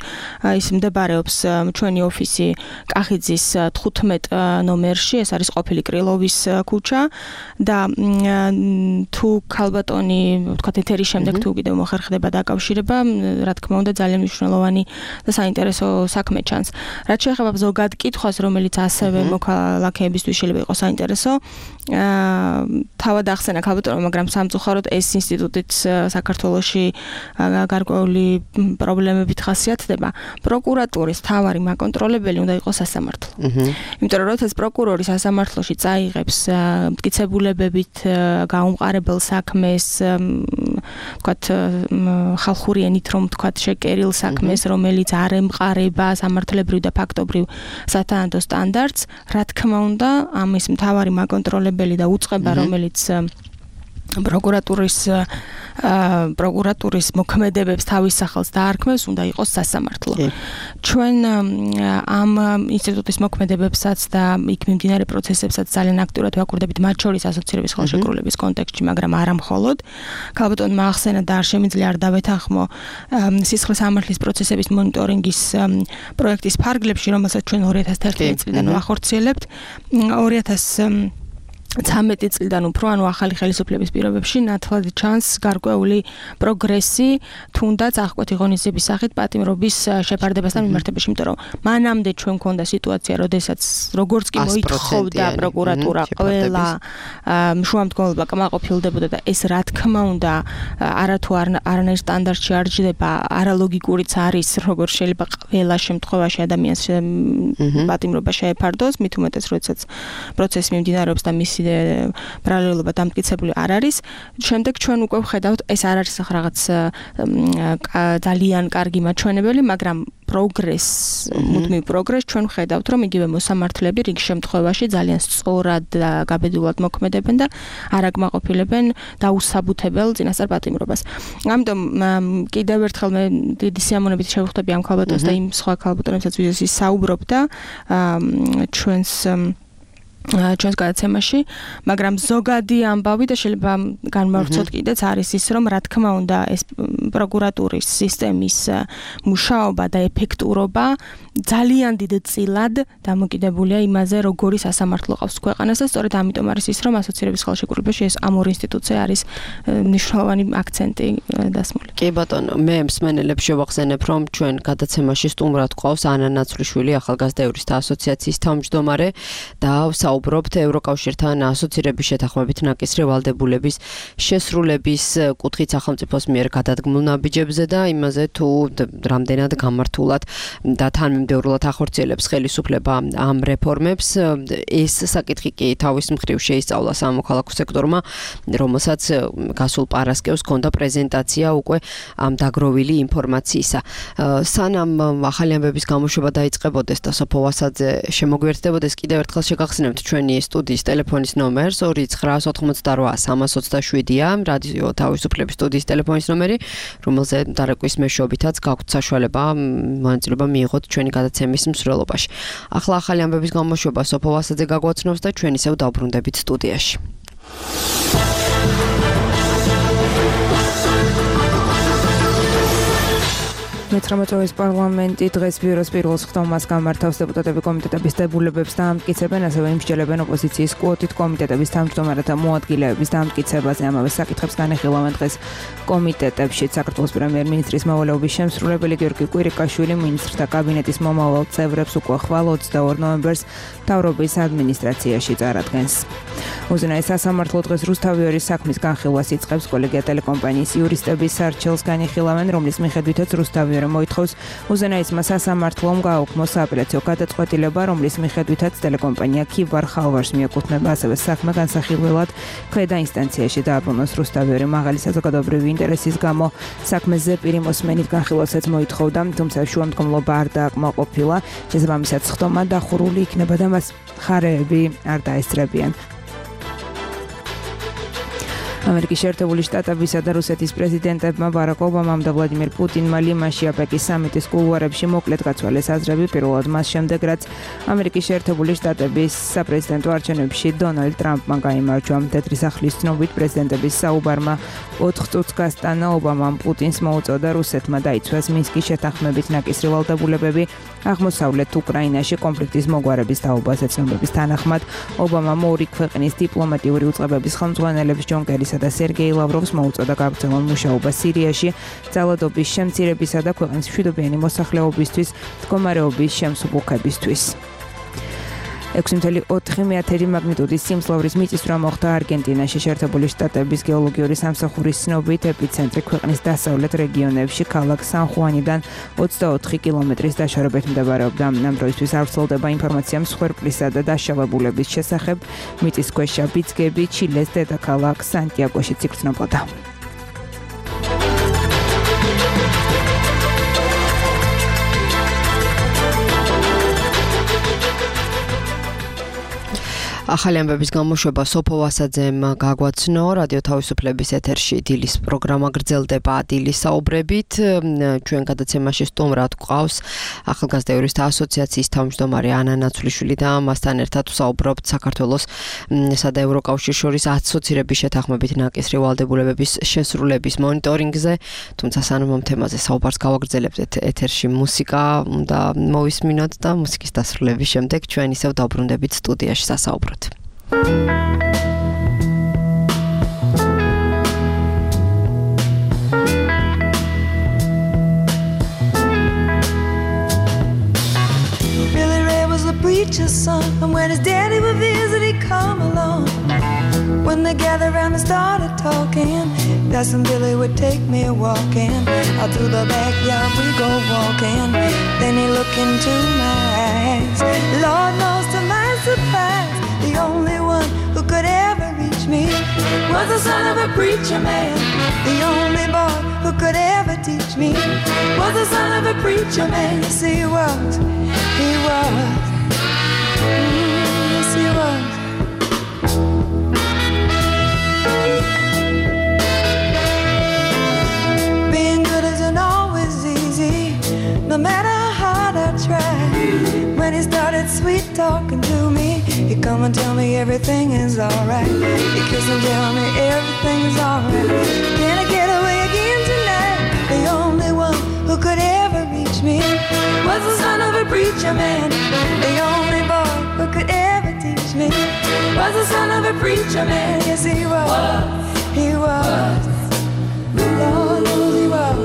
S8: ის მდებარეობს ჩვენი ოფისი კახიძის თხუთმეტ ნომერში, ეს არის ყოფილი კრილოვის ქუჩა და თუ ქალბატონი ვთქვათ ეთერის შემდეგ თუ კიდევ მოხერხდება დაკავშირება, რა თქმა უნდა ძალიან მნიშვნელოვანი და საინტერესო საქმე ჩანს. რაც შეეხება ზოგად კითხვას, რომელიც ასევე მოქალაქეებისთვის შეიძლება იყოს საინტერესო, თავად ახსენა ქალბატონმა, მაგრამ სამწუხაროდ ეს ინსტიტუტიც საქართველოში გარკვეული პრობლემებით ხასიათდება. პროკურატურის თავარი მაკონტროლებელი უნდა იყოს სასამართლო. იმიტომ რომ როდესაც პროკურორი სასამართლოში წაიღებს მტკიცებულებებით გაუმყარებელ საქმეს, ვთქვათ ხალხური ენით რომ ვთქვათ შეკერილ საქმეს, რომელიც არ ემყარება სამართლებრივ და ფაქტობრივ სათანადო სტანდარტს, რა თქმა უნდა, ამის მთავარი მაკონტროლებელი და უწყება, რომელიც პროკურატურის პროკურატურის მოქმედებებს თავის სახელს დაარქმევს, უნდა იყოს სასამართლო. ჩვენ ამ ინსტიტუტის მოქმედებებსაც და იქ მიმდინარე პროცესებსაც ძალიან აქტიურად ვაკურდებით, მათ შორის ასოცირების ხელშეკრულების კონტექსტში, მაგრამ არა მხოლოდ. ქალბატონმა ახსენა და არ შემიძლია არ დავეთანხმო სისხლის სამართლის პროცესების მონიტორინგის პროექტის ფარგლებში, რომელსაც ჩვენ ორი ათას თერთმეტი წლიდან ვახორციელებთ. ორი ათას ცამეტი წლიდან უფრო, ანუ ახალი ხელისუფლების პირობებში ნათლად ჩანს გარკვეული პროგრესი, თუნდაც აღკვეთი ღონისძიების სახით პატიმრობის შეფარდებასთან მიმართებაში, იმიტომ რომ მანამდე ჩვენ მქონდა სიტუაცია, როდესაც როგორც კი მოითხოვდა პროკურატურა ყველა შუამდგომლობა კმაყოფილდებოდა და ეს რა თქმა უნდა არათუ არანაირ სტანდარტში არ ჯდება, არალოგიკურიც არის, როგორც შეიძლება ყველა შემთხვევაში ადამიანს პატიმრობა შეეფარდოს, მით უმეტეს როდესაც პროცესი მიმდინარეობს და მის ბრალელობა დამტკიცებული არ არის. შემდეგ ჩვენ უკვე ვხედავთ, ეს არ არის რაღაც ძალიან კარგი მაჩვენებელი, მაგრამ პროგრეს, მუდმივ პროგრესს ჩვენ ვხედავთ, რომ იგივე მოსამართლეები რიგ შემთხვევაში ძალიან სწორად და გაბედულად მოქმედებენ და არ აკმაყოფილებენ დაუსაბუთებელ წინასწარ პატიმრობას. ამიტომ კიდევ ერთხელ მე დიდი სიამოვნებით შევხვდები ამ ქალბატონს და იმ სხვა ქალბატონებსაც, ვიზეც ის საუბრობდა ჩვენს ჩვენს გადაცემაში, მაგრამ ზოგადი ამბავი და შეიძლება განმავრცოთ კიდეც არის ის, რომ რა თქმა უნდა ეს პროკურატურის სისტემის მუშაობა და ეფექტურობა ძალიან დიდ წილად დამოკიდებულია იმაზე, როგორი სასამართლო ყავს ქვეყანას და სწორედ ამიტომ არის ის, რომ ასოცირების ხელშეკრულებაში ეს ამ ორი ინსტიტუცია არის მნიშვნელოვანი აქცენტი დასმული.
S3: კი ბატონო, მე მსმენელებს შევახსენებ, რომ ჩვენ გადაცემაში სტუმრად ყავს ანა ნაცვლიშვილი, ახალგაზრდა იურისტთა ასოციაციის თავმჯდომარე და საუბრობთ ევროკავშირთან ასოცირების შეთანხმებით ნაკისრი ვალდებულების შესრულების კუთხით სახელმწიფოს მიერ გადადგმულ ნაბიჯებზე და იმაზე თუ რამდენად გამართულად და თან კანონმდებლად ახორციელებს ხელისუფლება ამ რეფორმებს. ეს საკითხი კი თავის მხრივ შეისწავლა სამოქალაქო სექტორმა, რომელსაც გასულ პარასკევს ჰქონდა პრეზენტაცია უკვე ამ დაგროვილი ინფორმაციისა. სანამ ახალი ამბების გამოშვება დაიწყებოდეს და სოფო ვასაძე შემოგვიერთდებოდეს, კიდევ ერთხელ შეგახსენებთ ჩვენი სტუდიის ტელეფონის ნომერს ორი ცხრა ოთხმოცდარვა სამას ოცდაშვიდია, რადიო თავისუფლების სტუდიის ტელეფონის ნომერი, რომელზე დარეკვის მეშვეობითაც გაქვთ საშუალება მონაწილეობა მიიღოთ ჩვენი გადაცემის მსვლელობაში. ახლა ახალი ამბების გამოშვება სოფო ვასაძე გაგვაცნობს და ჩვენ ისევ დავბრუნდებით სტუდიაში.
S2: მეცხრამეტევის პარლამენტი დღეს ბიუროს პირველ სხდომას გამართავს დეპუტატები კომიტეტების დებულებებს დაამტკიცებენ, ასევე იმსჯელებენ ოპოზიციის კვოტით კომიტეტების თავმჯდომარეთა მოადგილეების დაამტკიცებაზე. ამავე საკითხებს განეხილავენ დღეს კომიტეტებში საქართველოს პრემიერ-მინისტრის მოვალეობის შემსრულებელი გიორგი კვირიკაშვილი მინისტრთა კაბინეტის მომავალ წევრებს უკვე ხვალ ოცდაორ ნოემბერს მთავრობის ადმინისტრაციაში წარადგენს. უზენაეს სასამართლო დღეს რუსთავიორის საქმის განხილვას იწყებს. კოლეგია ტელეკომპანიის იურისტების სარჩელს განიხილავენ, რომლის მიხედვითაც რუსთავი მოითხოვს უზენაესმა სასამართლომ გააუქმო სააპელაციო გადაწყვეტილება, რომლის მიხედვითაც ტელეკომპანია ქიბარ ხალვარს მიეკუთვნება, ასევე საქმე განსახილველად ქვედა ინსტანციაში დააბრუნოს. რუსთავიორი მაღალი საზოგადოებრივი ინტერესის გამო საქმეზე პირი მოსმენით განხილვასაც მოითხოვდა, თუმცა შუამდგომლობა არ დააკმაყოფილა. შესაბამისად სხდომა დახურული იქნება და მას მხარეები არ დაესწრებიან. ამერიკის შეერთებული შტატებისა და რუსეთის პრეზიდენტებმა ბარაკ ობამამ და ვლადიმირ პუტინმა ლიმანში აპეკის სამიტის კულუარებში მოკლედ გაცვალეს აზრები, პირველად მას შემდეგ, რაც ამერიკის შეერთებული შტატების საპრეზიდენტო არჩევნებში დონალდ ტრამპმა გაიმარჯვა. მდედრი სახლის ცნობით პრეზიდენტების საუბარმა ოთხ წუთს გასტანა. ობამამ პუტინს მოუწოდა რუსეთმა დაიცვას მინსკის შეთანხმებით ნაკისრი ვალდებულებები აღმოსავლეთ უკრაინაში კონფლიქტის მოგვარების თაობაზე. ცნობების თანახმად ობამამ ორი ქვეყნის დიპლომატიური უწყებების ხელმძღვანელებს ჯონ კერისა და სერგეი ლავროვს მოუწოდა გაგრძელონ მუშაობა სირიაში, ძალადობის შემცირებისა და ქვეყნის მშვიდობიანი მოსახლეობისთვის, მდგომარეობის შემსუბუქებისთვის. ექვსი წუთი ოთხი მაგნიტუდის სიმძლავრის მიწისძვრა მოხდა არგენტინაში. შეერთებული შტატების გეოლოგიური სამსახურის ცნობით ეპიცენტრი ქვეყნის დასავლეთ რეგიონებში ქალაქ სან-ხუანიდან ოცდაოთხი კილომეტრის დაშორებით მდებარეობდა. ამ დროისთვის არ ვრცელდება ინფორმაცია მსხვერპლისა და დაშავებულების შესახებ. მიწისქვეშა ბიძგები ჩილეს დედაქალაქ სანტიაგოში იგრძნობოდა. ახალი ამბების გამოშვება სოფო ვასაძემ გაგვაცნო. რადიო თავისუფლების ეთერში დილის პროგრამა გრძელდება დილის საუბრებით. ჩვენ გადაცემაში სტუმრად გვყავს ახალგაზრდა იურისტთა ასოციაციის თავმჯდომარე ანა ნაცვლიშვილი და მასთან ერთად ვსაუბრობთ საქართველოს და ევროკავშირის შორის ასოცირების შეთანხმებით ნაკისრი ვალდებულებების შესრულების მონიტორინგზე. თუმცა სანამ ამ თემაზე საუბარს გავაგრძელებთ, ეთერში მუსიკა უნდა მოვისმინოთ და მუსიკის დასრულების შემდეგ ჩვენ ისევ დავბრუნდებით სტუდიაში სასაუბრად.
S10: Billy Ray was a preacher's son, and when his daddy would visit, he'd come along. When they gathered around and started talking, that's when Billy would take me walking. Out through the backyard we go walking. Then he looked into my eyes. Lord knows to my surprise, the only one who could ever reach me was the son of a preacher man. The only boy who could ever teach me was the son of a preacher man. Yes, he was, he was, mm, yes, he was. Being good isn't always easy, no matter how hard I try. When he started sweet talking to me, he'd come and tell me everything is alright. He'd kiss and tell me everything is alright. Can I get away again tonight? The only one who could ever reach me was the son of a preacher man. The only boy who could ever teach me was the son of a preacher man. Yes, he was, he was, Lord knows he was.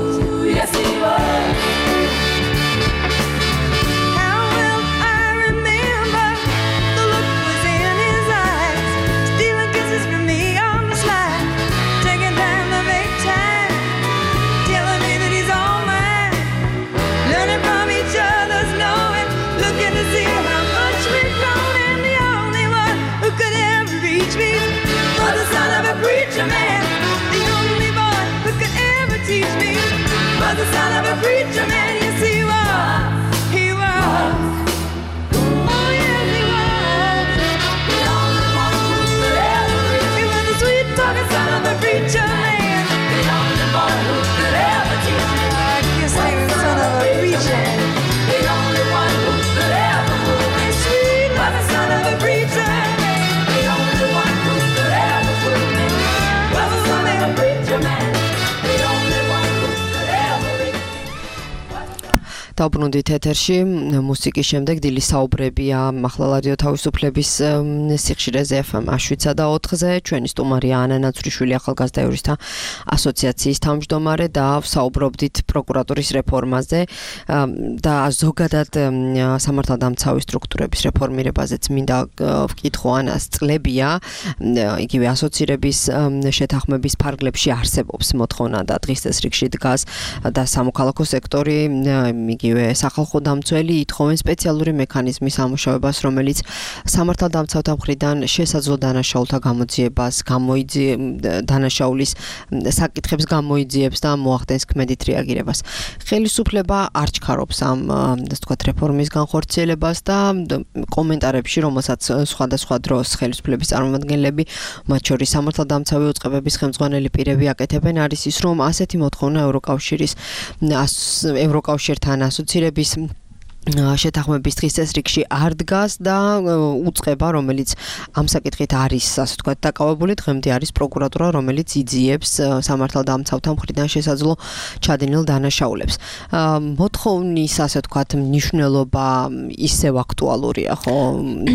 S10: Yes, he was. Telling me that he's all mine, learning from each other's knowing. sweet-talking son of a preacher man. The only boy who could ever teach me. I kiss the son of a preacher. The only one who could ever fool me. Sweet was the son of a preacher man. The only one who could ever fool me. Was the son of a preacher man. The only one who could ever reach me.
S3: დაუბრუნდით ეთერში მუსიკის შემდეგ დილის საუბრებია ახლა რადიო თავისუფლების სიხშირეზე ეფ ემ შვიდსა და ოთხზე ჩვენი სტუმარია ანა ნაცვრიშვილი ახალგაზრდა იურისტთა ასოციაციის თავმჯდომარე და საუბრობდით პროკურატურის რეფორმაზე და ზოგადად სამართალდამცავი სტრუქტურების რეფორმირებაზეც მინდა ვკითხო ანას წლებია იგივე ასოცირების შეთანხმების ფარგლებში არსებობს მოთხოვნა და დღის წესრიგში დგას და სამოქალაქო სექტორი იგივე სახალხო დამცველი ითხოვენ სპეციალური მექანიზმის ამუშავებას, რომელიც სამართალდამცავთა მხრიდან შესაძლო დანაშაულთა გამოძიებას, დანაშაულის საკითხებს გამოიძიებს და მოახდენს ქმედით რეაგირებას. ხელისუფლება არ ჩქარობს ამ ასე ვთქვათ რეფორმის განხორციელებას და კომენტარებში, რომელსაც სხვადასხვა დროს ხელისუფლების წარმომადგენლები, მათ შორის სამართალდამცავი უწყებების ხელმძღვანელი პირები აკეთებენ, არის ის, რომ ასეთი მოთხოვნა ევროკავშირის ევროკავშირთან ასოცირების შეთანხმების დღის წესრიგში არ დგას და უწყება, რომელიც ამ საკითხით არის, ასე ვთქვათ, დაკავებული, დღემდე არის პროკურატურა, რომელიც იძიებს სამართალდამცავთა მხრიდან შესაძლო ჩადენილ დანაშაულებს. მოთხოვნის, ასე ვთქვათ, მნიშვნელობა ისევ აქტუალურია, ხო?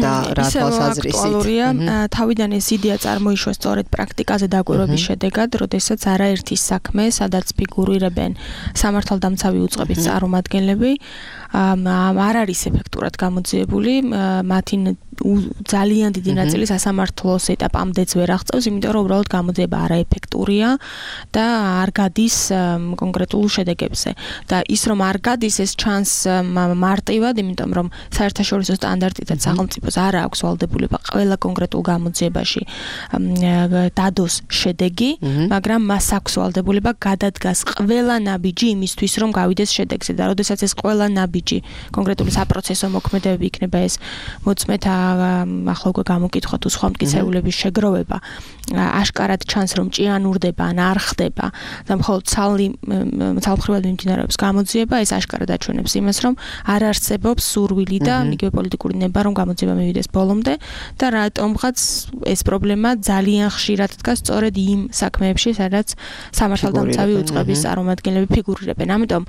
S3: და რა თვალსაზრისით?
S8: აქტუალურია. თავიდან ეს იდეა წარმოიშვა სწორედ პრაქტიკაზე დაკვირვების შედეგად, როდესაც არაერთი საქმე, სადაც ფიგურირებენ სამართალდამცავი უწყების წარმომადგენლები, არ არის ეფექტურად გამოძიებული, მათი ძალიან დიდი ნაწილი სასამართლოს ეტაპამდეც ვერ აღწევს, იმიტომ რომ უბრალოდ გამოძიება არაეფექტურია და არ გადის კონკრეტულ შედეგებზე. და ის რომ არ გადის, ეს ჩანს მარტივად, იმიტომ რომ საერთაშორისო სტანდარტითაც სახელმწიფოს არ აქვს ვალდებულება ყველა კონკრეტულ გამოძიებაში დადოს შედეგი, მაგრამ მას აქვს ვალდებულება გადადგას ყველა ნაბიჯი იმისთვის, რომ გავიდეს შედეგზე და როდესაც ეს ყველა ნაბიჯი კონკრეტული საპროცესო მოქმედებები იქნება ეს მოწმეთა ახლა უკვე გამოკითხვა თუ სხვა მტკიცებულების შეგროვება აშკარად ჩანს რომ ჭიანურდება ან არ ხდება და მხოლოდ ცალი ცალმხრივად მიმდინარეობს გამოძიება ეს აშკარად აჩვენებს იმას რომ არ არსებობს სურვილი და იგივე პოლიტიკური ნება რომ გამოძიება მივიდეს ბოლომდე და რატომღაც ეს პრობლემა ძალიან ხშირად დგას სწორედ იმ საქმეებში სადაც სამართალდამცავი უწყების წარმომადგენლები ფიგურირებენ ამიტომ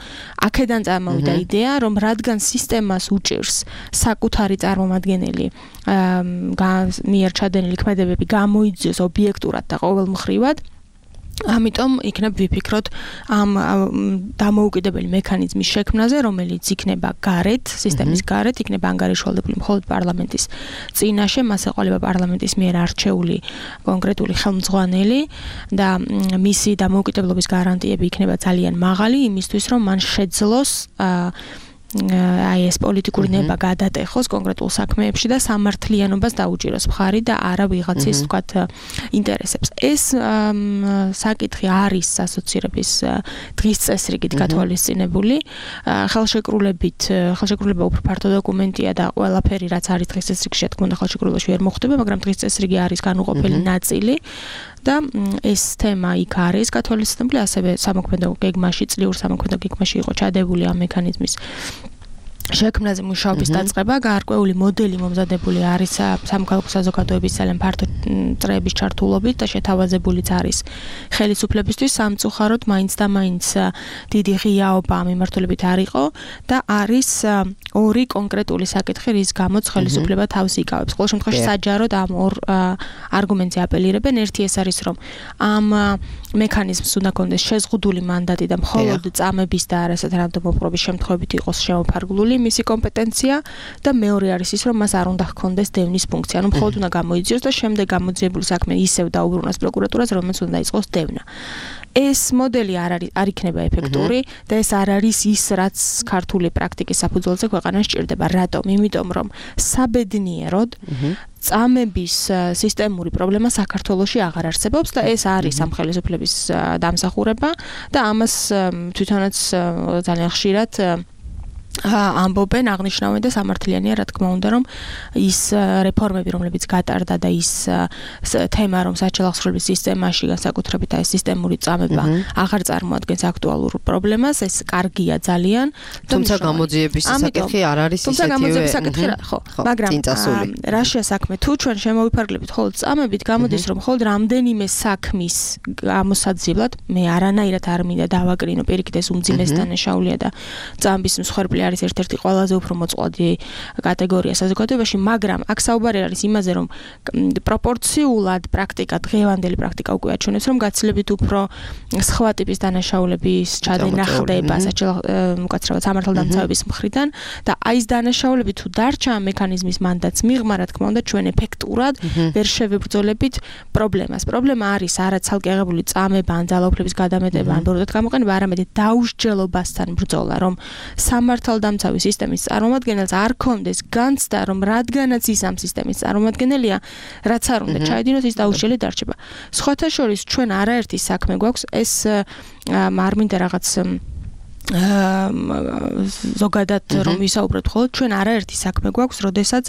S8: აქედან წარმოვიდა იდეა რომ რადგან სისტემას უჭირს საკუთარი წარმომადგენელი მიერ ჩადენილი ქმედებები გამოიძიოს ობიექტურად და ყოველმხრივად ამიტომ იქნებ ვიფიქროთ ამ დამოუკიდებელი მექანიზმის შექმნაზე, რომელიც იქნება გარეთ, სისტემის გარეთ, იქნება ანგარიშვალდებული მხოლოდ პარლამენტის წინაშე, მას ეყოლება პარლამენტის მიერ არჩეული კონკრეტული ხელმძღვანელი და მისი დამოუკიდებლობის გარანტიები იქნება ძალიან მაღალი, იმისთვის რომ მან შეძლოს აი ეს პოლიტიკური ნება გადატეხოს კონკრეტულ საქმეებში და სამართლიანობას დაუჭიროს მხარი და არა ვიღაცის თქვათ ინტერესებს. ეს საკითხი არის ასოცირების დღის წესრიგით გათვალისწინებული. ხელშეკრულებით, ხელშეკრულება უფრო ფართო დოკუმენტია და ყველაფერი რაც არის დღის წესრიგში, თქმა უნდა, ხელშეკრულებაში ვერ მოხდება, მაგრამ დღის წესრიგი არის განუყოფელი ნაწილი. და ეს თემა იქ არის გათვალისწინებული, ასევე სამოქმედო გეგმაში, წლიურ სამოქმედო გეგმაში იყო ჩადებული ამ მექანიზმის შექმნაზე მუშაობის დაწყება, გარკვეული მოდელი მომზადებული არის სამოქალაქო საზოგადოების ძალიან ფართო წრეების ჩართულობით და შეთავაზებულიც არის ხელისუფლებისთვის სამწუხაროდ მაინც და მაინც დიდი ღიაობა ამ მიმართულებით არ იყო და არის ორი კონკრეტული საკითხი, რის გამოც ხელისუფლება თავს იკავებს. ყოველ შემთხვევაში საჯაროდ ამ ორ არგუმენტზე აპელირებენ. ერთი ეს არის, რომ ამ მექანიზმს უნდა კონდეს შეზღუდული მანდატი და მხოლოდ წამების და არასათანადო მოპყრობის შემთხვევებით იყოს შემოფარგლული მისი კომპეტენცია და მეორე არის ის, რომ მას არ უნდა ჰქონდეს დევნის ფუნქცია. ანუ მხოლოდ უნდა გამოიძიოს და შემდეგ გამოძიებული საქმე ისევ დაუბრუნოს პროკურატურას, რომელსაც უნდა იწყოს დევნა. ეს მოდელი არ არის არ იქნება ეფექტური და ეს არ არის ის, რაც ქართული პრაქტიკის საფუძველზე ქვეყანას ჭირდება. რატომ? იმიტომ რომ საბედნიეროდ წამების სისტემური პრობლემა საქართველოში აღარ არსებობს და ეს არის ამ ხელისუფლების დამსახურება და ამას თვითონაც ძალიან ხშირად ამბობენ აღნიშნავენ და სამართლიანია რა თქმა უნდა რომ ის რეფორმები რომლებიც გატარდა და ის თემა რომ საჩელახსრობის სისტემაში განსაკუთრებით აი სისტემური წამება აღარ წარმოადგენს აქტუალურ პრობლემას ეს კარგია ძალიან
S3: თუმცა გამოძიების საკითხი არ არის ისეთივე
S8: თუმცა გამოძიების საკითხი ხო მაგრამ რაშია საქმე თუ ჩვენ შემოვიფარგლებით ხოლმე წამებით გამოდის რომ ხოლმე რამდენიმე საქმის გამოსაძიებლად მე არანაირად არ მინდა დავაკრინო პირიქით ეს უმძიმეს დანაშაულია და წამების მსხვერპლი არის ერთ-ერთი ყველაზე უფრო მოწყვლადი კატეგორია საზოგადოებაში, მაგრამ აქ საუბარი არის იმაზე, რომ პროპორციულად პრაქტიკა, დღევანდელი პრაქტიკა უკვე აჩვენებს, რომ გაცილებით უფრო სხვა ტიპის დანაშაულების ჩადენა ხდება უკაცრავად სამართალდამცავების მხრიდან და აი ეს დანაშაულები თუ დარჩა ამ მექანიზმის მანდატს მიღმა, რა თქმა უნდა, ჩვენ ეფექტურად ვერ შევებრძოლებით პრობლემას. პრობლემა არის არა ცალკე აღებული წამება ან ძალაუფლების გადამეტება ან ბოროტად გამოყენება, არამედ დაუსჯელობასთან ბრძოლა, რომ სამართალდამცავი სისტემის წარმომადგენელს არ ქონდეს განცდა, რომ რადგანაც ის ამ სისტემის წარმომადგენელია, რაც არ უნდა ჩაედინოს, ის დაუსჯელი დარჩება. სხვათა შორის ჩვენ არაერთი საქმე გვაქვს, ეს არ მინდა რაღაც ზოგადად რომ ვისაუბროთ ხოლმე ჩვენ არაერთი საქმე გვაქვს, როდესაც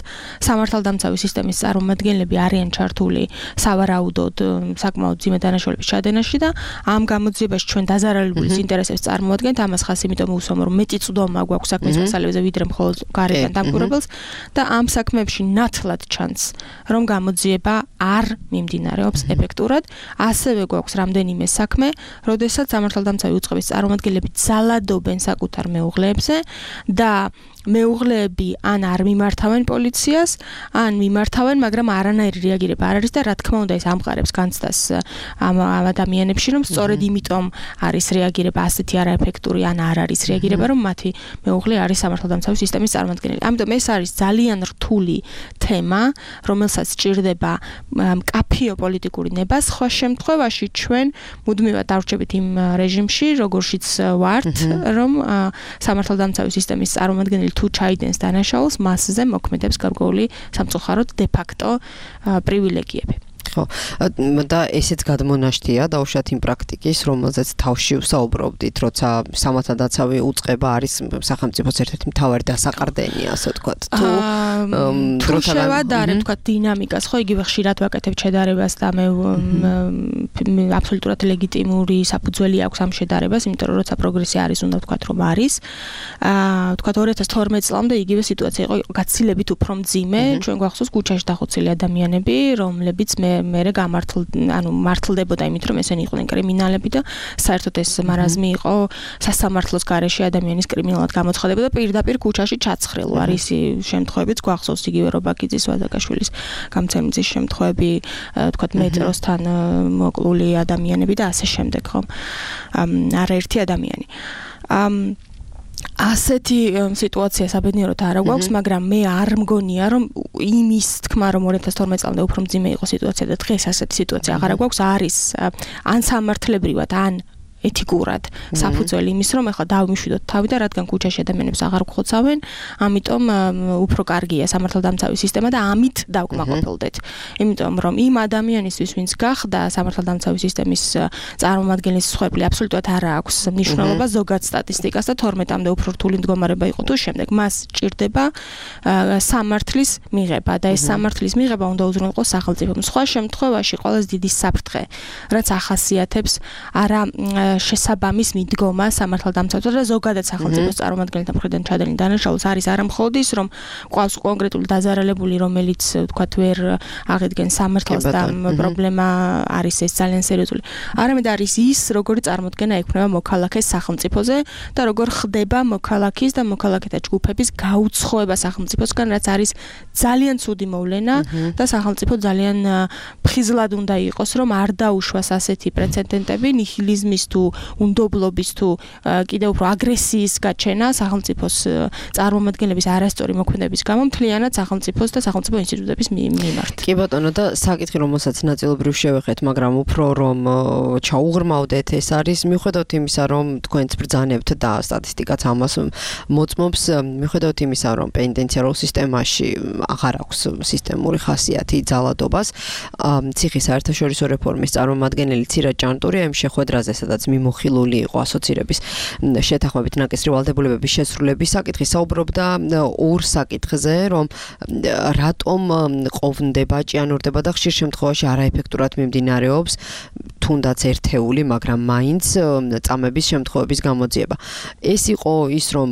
S8: სამართალდამცავი სისტემის წარმომადგენლები არიან ჩართული სავარაუდოდ საკმაოდ ძიმე დანაშაულების ჩადენაში და ამ გამოძიებაში ჩვენ დაზარალებულის ინტერესებს წარმოადგენთ, ამას ხას იმიტომ უსვამ რომ მეტი წვდომა გვაქვს საქმის მასალებზე ვიდრე მხოლოდ გარედან დამკვირვებელს და ამ საქმეებში ნათლად ჩანს რომ გამოძიება არ მიმდინარეობს ეფექტურად, ასევე გვაქვს რამდენიმე საქმე, როდესაც სამართალდამცავი უწყების წარმომადგენლები ძალად dobენ საკუთარ მეუღლეებზე და მეუღლეები ან არ მიმართავენ პოლიციას, ან მიმართავენ, მაგრამ არანაირი რეაგირება არ არის და რა თქმა უნდა ეს ამყარებს განცდას ამ ადამიანებში, რომ სწორედ იმიტომ არის რეაგირება ასეთი არაეფექტური ან არ არის რეაგირება, რომ მათი მეუღლე არის სამართალდამცავი სისტემის წარმომადგენელი. ამიტომ ეს არის ძალიან რთული თემა, რომელსაც სჭირდება მკაფიო პოლიტიკური ნება. სხვა შემთხვევაში ჩვენ მუდმივად დავრჩებით იმ რეჟიმში, როგორშიც ვართ, რომ სამართალდამცავი სისტემის წარმომადგენელი თუ ჩაიდენს დანაშაულს, მასზე მოქმედებს გარკვეული სამწუხაროდ de facto პრივილეგიები.
S3: ხო და ესეც გადმონაშთია დაუშვათ იმ პრაქტიკის, რომელზეც თავში ვსაუბრობდით, როცა სამართალდამცავი უწყება არის სახელმწიფოს ერთ-ერთი მთავარი დასაყრდენი, ასე ვთქვათ. თუ
S8: თუ შევადარებ, ვთქვათ, დინამიკას, ხო, იგივე ხშირად ვაკეთებ შედარებას და მე აბსოლუტურად ლეგიტიმური საფუძველი აქვს ამ შედარებას, იმიტომ რომ როცა პროგრესი არის, უნდა ვთქვათ, რომ არის. აა ვთქვათ ორი ათას თორმეტ წლამდე იგივე სიტუაცია იყო გაცილებით უფრო მძიმე, ჩვენ გვახსოვს ქუჩაში დახოცილი ადამიანები, რომლებიც მე მერე გამართლ ანუ მართლდებოდა იმით რომ ესენი იყვნენ კრიმინალები და საერთოდ ეს მარაზმი იყო სასამართლოს გარეშე ადამიანის კრიმინალად გამოცხადება და პირდაპირ ქუჩაში ჩაცხრილო არის შემთხვევებიც გვახსოვს იგივე რობაკიძის ვადაკაშვილის გამცემის შემთხვევები თქვათ მეტროსთან მოკლული ადამიანები და ასე შემდეგ ხომ არაერთი ადამიანი ამ ასეთი სიტუაცია საბედნიეროდ არ გვაქვს, მაგრამ მე არ მგონია რომ იმის თქმა რომ ორი ათას თორმეტ წლამდე უფრო მძიმე იყო სიტუაცია და დღეს ასეთი სიტუაცია აღარ გვაქვს, არის ან სამართლებრივად, ან ეთიკურად საფუძველი იმის რომ ეხლა დავიმშვიდოთ თავი და რადგან ქუჩაში ადამიანებს აღარ გხოცავენ, ამიტომ უფრო კარგია სამართალდამცავი სისტემა და ამით დავკმაყოფილდეთ. იმიტომ რომ იმ ადამიანისთვის, ვინც გახდა სამართალდამცავი სისტემის წარმომადგენლის მსხვერპლი, აბსოლუტურად არ აქვს მნიშვნელობა ზოგად სტატისტიკას და თორმეტამდე უფრო რთული მდგომარეობა იყო თუ შემდეგ მას ჭირდება სამართლის მიღება და ეს სამართლის მიღება უნდა უზრუნველყოს სახელმწიფომ. სხვა შემთხვევაში ყველაზე დიდი საფრთხე, რაც ახასიათებს არა შესაბამის მიდგომა სამართალდამცავთა და ზოგადად სახელმწიფოს წარმომადგენელთა მხრიდან ჩადენილ დანაშაულს არის არა მხოლოდ ის, რომ ყავს კონკრეტული დაზარალებული, რომელიც ვთქვათ ვერ აღიდგენს სამართალს და პრობლემა არის ეს ძალიან სერიოზული. არამედ არის ის, როგორი წარმოდგენა ექნება მოქალაქეს სახელმწიფოზე და როგორ ხდება მოქალაქის და მოქალაქეთა ჯგუფების გაუცხოება სახელმწიფოსგან, რაც არის ძალიან ცუდი მოვლენა და სახელმწიფო ძალიან ფხიზლად უნდა იყოს, რომ არ დაუშვას ასეთი პრეცედენტები ნიჰილიზმის თუ უნდობლობის თუ კიდევ უფრო აგრესიის გაჩენა სახელმწიფოს წარმომადგენლების არასწორი მოქმედების გამო მთლიანად სახელმწიფოს და სახელმწიფო ინსტიტუტების მიმართ.
S3: კი ბატონო და საკითხი რომელსაც ნაწილობრივ შევეხეთ, მაგრამ უფრო რომ ჩაუღრმავდეთ, ეს არის მიუხედავად იმისა, რომ თქვენც ბრძანებთ და სტატისტიკაც ამას მოწმობს, მიუხედავად იმისა, რომ პენიტენციარულ სისტემაში აღარ აქვს სისტემური ხასიათი ძალადობას, ციხის საერთაშორისო რეფორმის წარმომადგენელი ცირა ჭანტურია იმ შეხვედრაზე, სადაც მიმოხილული იყო ასოცირების შეთანხმებით ნაკისრი ვალდებულებების შესრულების საკითხი. საუბრობდა ორ საკითხზე, რომ რატომ ყოფნდება, ჭიანურდება და ხშირ შემთხვევაში არაეფექტურად მიმდინარეობს თუნდაც ერთეული, მაგრამ მაინც წამების შემთხვევების გამოძიება. ეს იყო ის, რომ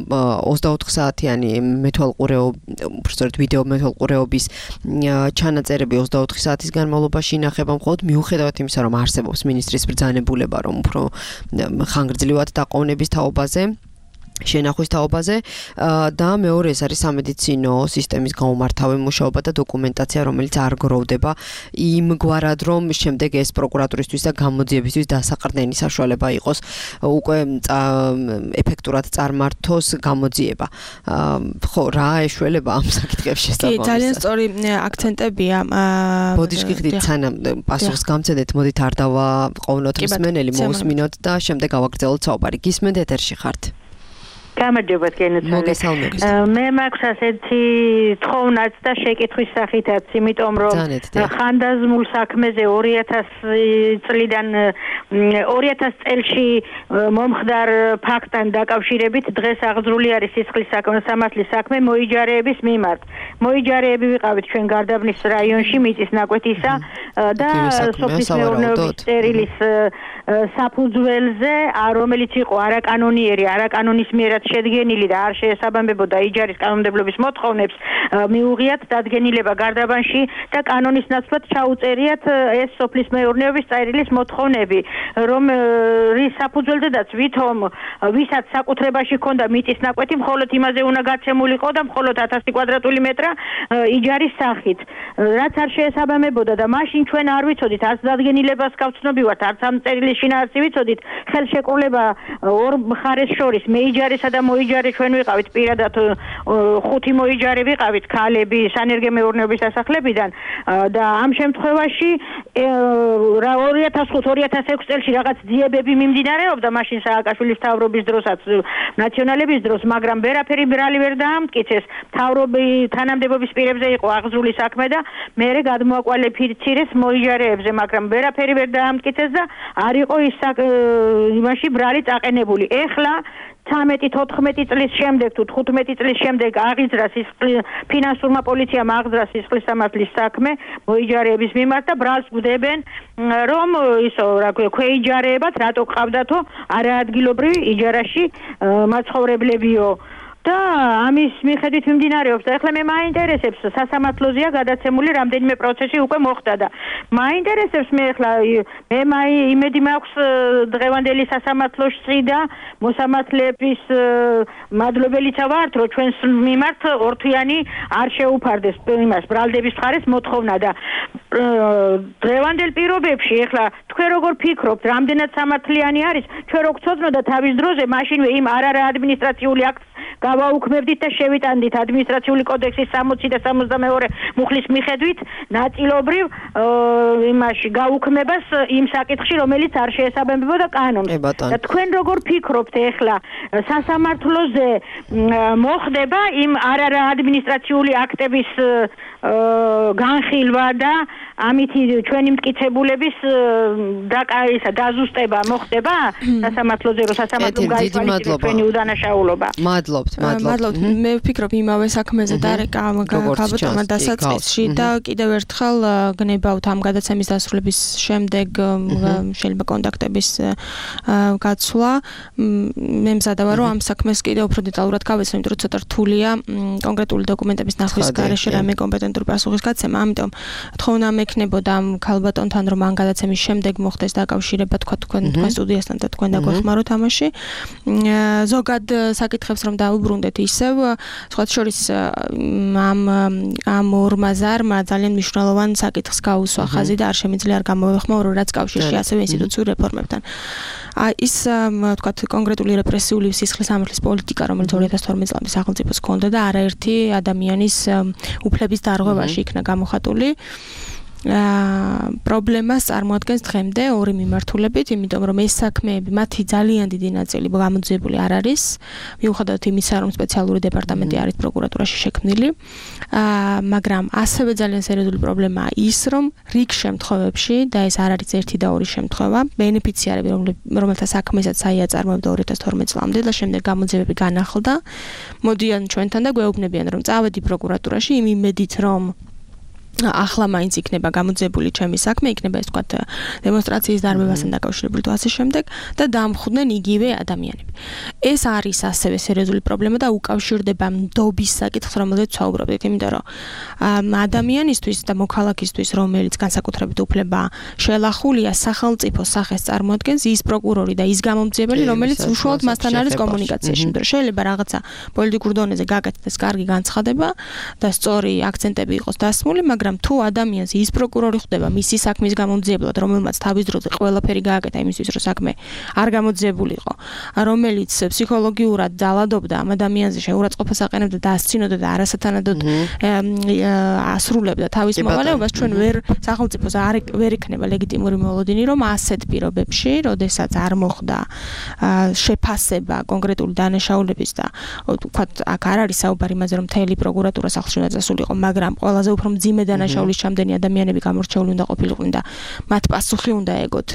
S3: ოცდაოთხ საათიანი მეთვალყურეობის, უბრალოდ ვიდეო მეთვალყურეობის ჩანაწერები ოცდაოთხი საათის განმავლობაში ინახება მხოლოდ მიუხედავად იმისა, რომ არსებობს მინისტრის ბრძანებულება, რომ უფრო ხანგრძლივად დაყოვნების თაობაზე შენახვის თაობაზე და მეორე ეს არის სამედიცინო სისტემის გაუმართავი მუშაობა და დოკუმენტაცია, რომელიც არ გროვდება იმგვარად, რომ შემდეგ ეს პროკურატურისთვის და გამოძიებისთვის დასაყრდენი საშუალება იყოს უკვე ეფექტურად წარმართოს გამოძიება. ხო, რა ეშველება ამ საკითხებში შესაძლოა?
S8: კი, ძალიან სწორი აქცენტებია.
S3: ბოდიშკი ხდით სანამ პასუხს გამცედეთ, მოდით არ დავაყოვნოთ მსმენელი, მოусმინოთ და შემდეგ გავაგრძელოთ საუბარი. გისმენთ ეთერში ხართ?
S11: გამარჯობათ გენოციდი. მე მაქვს ასეთი თხოვნაც და შეკითხვის სახითაც, იმიტომ რომ ხანდაზმულ საქმეზე ორი ათასი წლიდან ორი ათასი წელში მომხდარ ფაქტთან დაკავშირებით დღეს აღძრული არის სისხლის სამართლის საქმე მოიჯარეების მიმართ. მოიჯარეები ვიყავით ჩვენ გარდაბნის რაიონში მიწის ნაკვეთისა და სოფლის მეურნეობის სერილის საფუძველზე, რომელიც იყო არაკანონიერი, არაკანონის მიერად შედგენილი და არ შეესაბამებოდა იჯარის კანონმდებლობის მოთხოვნებს, მიუღიათ დადგენილება გარდაბანში და კანონის ნაცვლად ჩაუწერიათ ეს სოფლის მეურნეობის წერილის მოთხოვნები, რომ რის საფუძველზედაც ვითომ ვისაც საკუთრებაში ჰქონდა მიწის ნაკვეთი, მხოლოდ იმაზე უნდა გაცემულიყო და მხოლოდ ათასი კვადრატული მეტრა იჯარის სახით. რაც არ შეესაბამებოდა და მაშინ ჩვენ არ ვიცოდით, არც დადგენილებას გავცნობივართ, არც ამ წერილის შინაარსი ვიცოდით, ხელშეკრულება ორ მხარეს შორის მეიჯარისა და მოიჯარე ჩვენ ვიყავით პირადად ხუთი მოიჯარე ვიყავით ქალები სანერგე მეურნეობის დასახლებიდან და ამ შემთხვევაში ორი ათას ხუთი ორი ათას ექვსი წელს რაღაც ძიებები მიმდინარეობდა მაშინ სააკაშვილის მთავრობის დროსაც ნაციონალების დროს, მაგრამ ვერაფერი ბრალი ვერ დაამტკიცეს. მთავრობი თანამდებობის პირებზე იყო აღძრული საქმე და მერე გადმოაკვალიფიცირეს მოიჯარეებზე, მაგრამ ვერაფერი ვერ დაამტკიცეს და არ იყო ის იმაში ბრალი წაყენებული. ეხლა ცამეტი თოთხმეტი წლის შემდეგ თუ თხუთმეტი წლის შემდეგ აღიძრა ფინანსურმა პოლიციამ აღძრა სისხლის სამართლის საქმე მოიჯარეების მიმართ და ბრალს გვდებენ, რომ ისო რა ქვია ქვეიჯარეებად რატო ყავდათო არაადგილობრივი იჯარაში მაცხოვრებლებიო და ამის მიხედვით მიმდინარეობს და ეხლა მე მაინტერესებს სასამართლოზეა გადაცემული რამდენიმე პროცესი უკვე მოხდა და მაინტერესებს მე ეხლა მე იმედი მაქვს დღევანდელი სასამართლოში და მოსამართლეების მადლობელიცა ვართ, რომ ჩვენს მიმართ ორთვიანი არ შეუფარდეს იმას ბრალდების მხარეს მოთხოვნა და დღევანდელ პირობებში ეხლა თქვენ როგორ ფიქრობთ, რამდენად სამართლიანი არის, ჩვენ რო გწოდნოდა თავის დროზე მაშინვე იმ არარა ადმინისტრაციული აქტს გავაუქმებდით და შევიტანდით ადმინისტრაციული კოდექსის სამოცი და სამოცდამეორე მუხლის მიხედვით ნაწილობრივ იმაში გაუქმებას იმ საკითხში, რომელიც არ შეესაბამებოდა კანონს. და თქვენ როგორ ფიქრობთ ეხლა სასამართლოზე მოხდება იმ არარა ადმინისტრაციული აქტების განხილვა და ამით ჩვენი მტკიცებულების დაკარისა დაზუსტება მოხდება სასამართლოზე, რომ სასამართლომ გაითვალისწინოს ჩვენი უდანაშაულობა.
S3: მადლობთ, მადლობთ.
S8: მე ვფიქრობ იმავე საქმეზე დარეკა გაბატონმა დასაწყისში და კიდევ ერთხელ გნებავთ ამ გადაცემის დასრულების შემდეგ შეიძლება კონტაქტების გაცვლა. მე მზადა ვარ, რომ ამ საქმეს კიდევ უფრო დეტალურად გავეცნო, იმიტომ რომ ცოტა რთულია კონკრეტული დოკუმენტების ნახვის გარეშე რამე კომპეტენტური პასუხის გაცემა, ამიტომ თხოვნა მექნებოდა ამ ქალბატონთან, რომ ამ გადაცემის შემდეგ მოხდეს დაკავშირება თქვა თქვენ თქვენ სტუდიასთან და თქვენ დაგვეხმაროთ ამაში. ზოგად საკითხებს რომ დაუბრუნდეთ ისევ, სხვა შორის ამ ამ ორმა ზარმა ძალიან მნიშვნელოვან საკითხს გაუსვა ხაზი და არ შემიძლია არ გამოვეხმაურო, რაც კავშირში ასევე ინსტიტუციურ რეფორმებთან. ის თქვა კონკრეტული რეპრესიული სისხლის სამართლის პოლიტიკა, რომელიც ორი ათას თორმეტ წლამდე სახელმწიფოს ჰქონდა და არაერთი ადამიანის უფლების დარღვევაში იქნა გამოხატული. პრობლემას წარმოადგენს დღემდე ორი მიმართულებით, იმიტომ რომ ეს საქმეები მათი ძალიან დიდი ნაწილი გამოძიებული არ არის, მიუხედავად იმისა, რომ სპეციალური დეპარტამენტი არის პროკურატურაში შექმნილი, მაგრამ ასევე ძალიან სერიოზული პრობლემაა ის, რომ რიგ შემთხვევებში და ეს არ არის ერთი და ორი შემთხვევა, ბენეფიციარები, რომელთა საქმესაც აიაწარმოებდა ორი ათას თორმეტ წლამდე და შემდეგ გამოძიებები განახლდა, მოდიან ჩვენთან და გვეუბნებიან, რომ წავედი პროკურატურაში იმ იმედით, რომ ახლა მაინც იქნება გამოძიებული ჩემი საქმე, იქნება ეს თქვა დემონსტრაციის დარბევასთან დაკავშირებული თუ ასე შემდეგ და დამხვდნენ იგივე ადამიანები. ეს არის ასევე სერიოზული პრობლემა და უკავშირდება ნდობის საკითხს, რომელზეც ვსაუბრობდით, იმიტომ რომ ადამიანისთვის და მოქალაქისთვის, რომელიც განსაკუთრებით უფლება შელახულია სახელმწიფო სახეს წარმოადგენს ის პროკურორი და ის გამომძიებელი, რომელიც უშუალოდ მასთან არის კომუნიკაციაში. იმიტომ რომ შეიძლება რაღაცა პოლიტიკურ დონეზე გაკეთდეს კარგი განცხადება და სწორი აქცენტები იყოს დასმული, მაგრამ თუ ადამიანს ის პროკურორი ხვდება მისი საქმის გამომძიებლად, რომელმაც თავის დროზე ყველაფერი გააკეთა იმისთვის, რომ საქმე არ გამოძიებულიყო, რომელიც ფსიქოლოგიურად ძალადობდა ამ ადამიანზე, შეურაცხყოფას აყენებდა და ასცინოდა და არასათანადოდ ასრულებდა თავის მოვალეობას, ჩვენ ვერ სახელმწიფოს არ ვერ იქნება ლეგიტიმური მოლოდინი, რომ ასეთ პირობებში, როდესაც არ მოხდა შეფასება კონკრეტული დანაშაულების და ვთქვათ, აქ არ არის საუბარი იმაზე, რომ მთელი პროკურატურა სახლში უნდა წასულიყო, მაგრამ ყველაზე უფრო მძიმე დანაშაულის ჩამდენი ადამიანები გამორჩეული უნდა ყოფილიყვნენ და მათ პასუხი უნდა ეგოთ.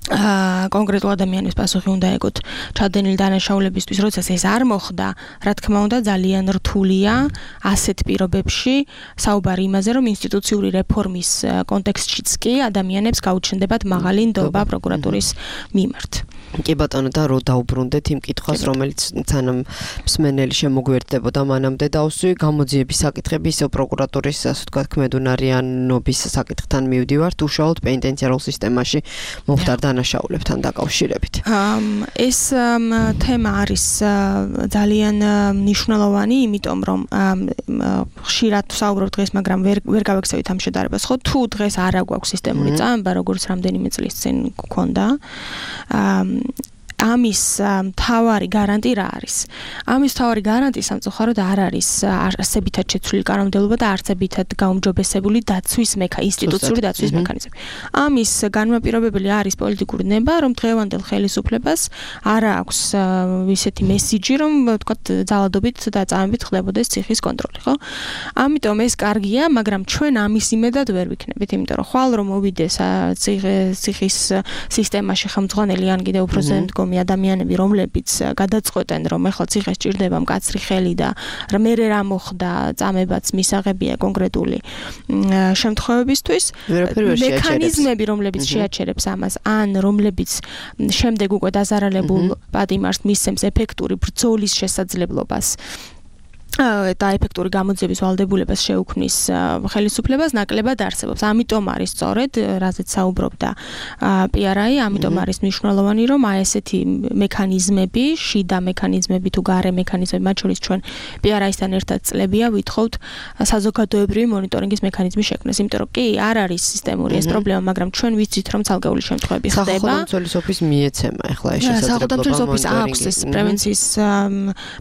S8: აა კონკრეტულ ადამიანებს პასუხი უნდა ეგოთ ჩადენილი დანაშაულებისთვის, როდესაც ეს არ მოხდა, რა თქმა უნდა, ძალიან რთულია ასეთ პირობებში საუბარი იმაზე, რომ ინსტიტუციური რეფორმის კონტექსტშიც კი ადამიანებს გაუჩნდებათ მაღალი ნდობა პროკურატურის მიმართ.
S3: კი ბატონო, და რო დაუბრუნდეთ იმ კითხვას, რომელიც სანამ მსმენელი შემოგვერდებოდა მანამდე დავსვი, გამოძიების საკითხები ისევ პროკურატურის, ასე ვთქვათ, ქმედუნარიანობის საკითხთან მივდივართ, უშუალოდ პენიტენციარულ სისტემაში მომხდარ დანაშაულებთან დაკავშირებით.
S8: ეს თემა არის ძალიან მნიშვნელოვანი, იმიტომ რომ ხშირად ვსაუბრობ დღეს, მაგრამ ვერ ვერ გავექცევით ამ შედარებას, ხო? თუ დღეს არ აგვაქვს სისტემური წამება, როგორც რამდენიმე წლის წინ გქონდა, ამის მთავარი გარანტი რა არის? ამის მთავარი გარანტი სამწუხაროდ არ არის არსებითად შეცვლილი კანონმდებლობა და არსებითად გაუმჯობესებული დაცვის მექა ინსტიტუციური დაცვის მექანიზმი. ამის განმაპირობებელი არის პოლიტიკური ნება, რომ დღევანდელ ხელისუფლებას არ აქვს ისეთი მესიჯი, რომ ვთქვათ, ძალადობით და წამებით ხდებოდეს ციხის კონტროლი, ხო? ამიტომ ეს კარგია, მაგრამ ჩვენ ამის იმედად ვერ ვიქნებით, იმიტომ რომ ხვალ რომ მოვიდეს ციხის სისტემაში ხელმძღვანელი ან კიდევ უფრო ზემდგომი ადამიანები, რომლებიც გადაწყვეტენ, რომ ეხლა ციხეს ჭირდება მკაცრი ხელი და მერე რა მოხდა, წამებაც მისაღებია კონკრეტული შემთხვევებისთვის, მექანიზმები, რომლებიც შეაჩერებს ამას, ან რომლებიც შემდეგ უკვე დაზარალებულ პატიმარს მისცემს ეფექტური ბრძოლის შესაძლებლობას და ეფექტური გამოძიების ვალდებულებას შეუქმნის ხელისუფლებას ნაკლებად არსებობს. ამიტომ არის სწორედ, რაზეც საუბრობდა პი არ აი, ამიტომ არის მნიშვნელოვანი, რომ აი ესეთი მექანიზმები, შიდა მექანიზმები თუ გარე მექანიზმები, მათ შორის ჩვენ პი არ აისთან ერთად წლებია ვითხოვთ საზოგადოებრივი მონიტორინგის მექანიზმი შექმნას, იმიტომ რომ კი არ არის სისტემური ეს პრობლემა, მაგრამ ჩვენ ვიცით, რომ ცალკეული შემთხვევები ხდება.
S3: სახელმწიფო ოფისს მიეცემა ახლა ეს შესაძლებლობა.
S8: სახელმწიფო ოფისს აქვს ეს პრევენციის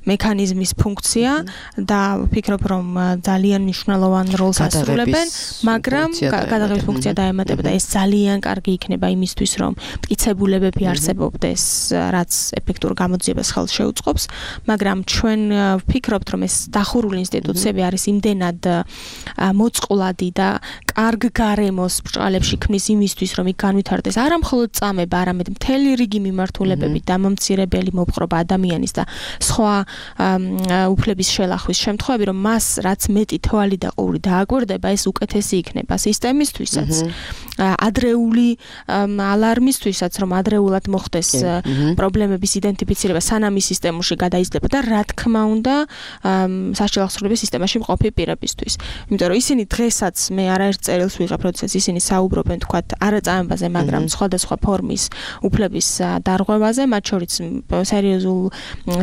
S8: მექანიზმის ფუნქცია. და ვფიქრობ, რომ ძალიან მნიშვნელოვან როლს ასრულებენ, მაგრამ გადაღების ფუნქცია დაემატება და ეს ძალიან კარგი იქნება იმისთვის, რომ მტკიცებულებები არსებობდეს, რაც ეფექტურ გამოძიებას ხელს შეუწყობს, მაგრამ ჩვენ ვფიქრობთ, რომ ეს დახურული ინსტიტუციები არის იმდენად მოწყვლადი და კარგ გარემოს ბრჭყალებში ქმნის იმისთვის, რომ იქ განვითარდეს არა მხოლოდ წამება, არამედ მთელი რიგი მიმართულებები, დამამცირებელი მოპყრობა ადამიანის და სხვა უფლების შელახვის შემთხვევები, რომ მას რაც მეტი თვალი და ყური დააკვირდება, ეს უკეთესი იქნება სისტემისთვისაც, ადრეული ალარმისთვისაც, რომ ადრეულად მოხდეს პრობლემების იდენტიფიცირება, სანამ ის სისტემაში გადაიზრდება და რა თქმა უნდა, სასჯელ აღსრულების სისტემაში მყოფი პირებისთვის. იმიტომ რომ ისინი დღესაც მე არაერთ წერილს ვიღებ, როდესაც ისინი საუბრობენ, თქვათ, არა წამებაზე, მაგრამ სხვადასხვა ფორმის უფლების დარღვევაზე, მათ შორის სერიოზულ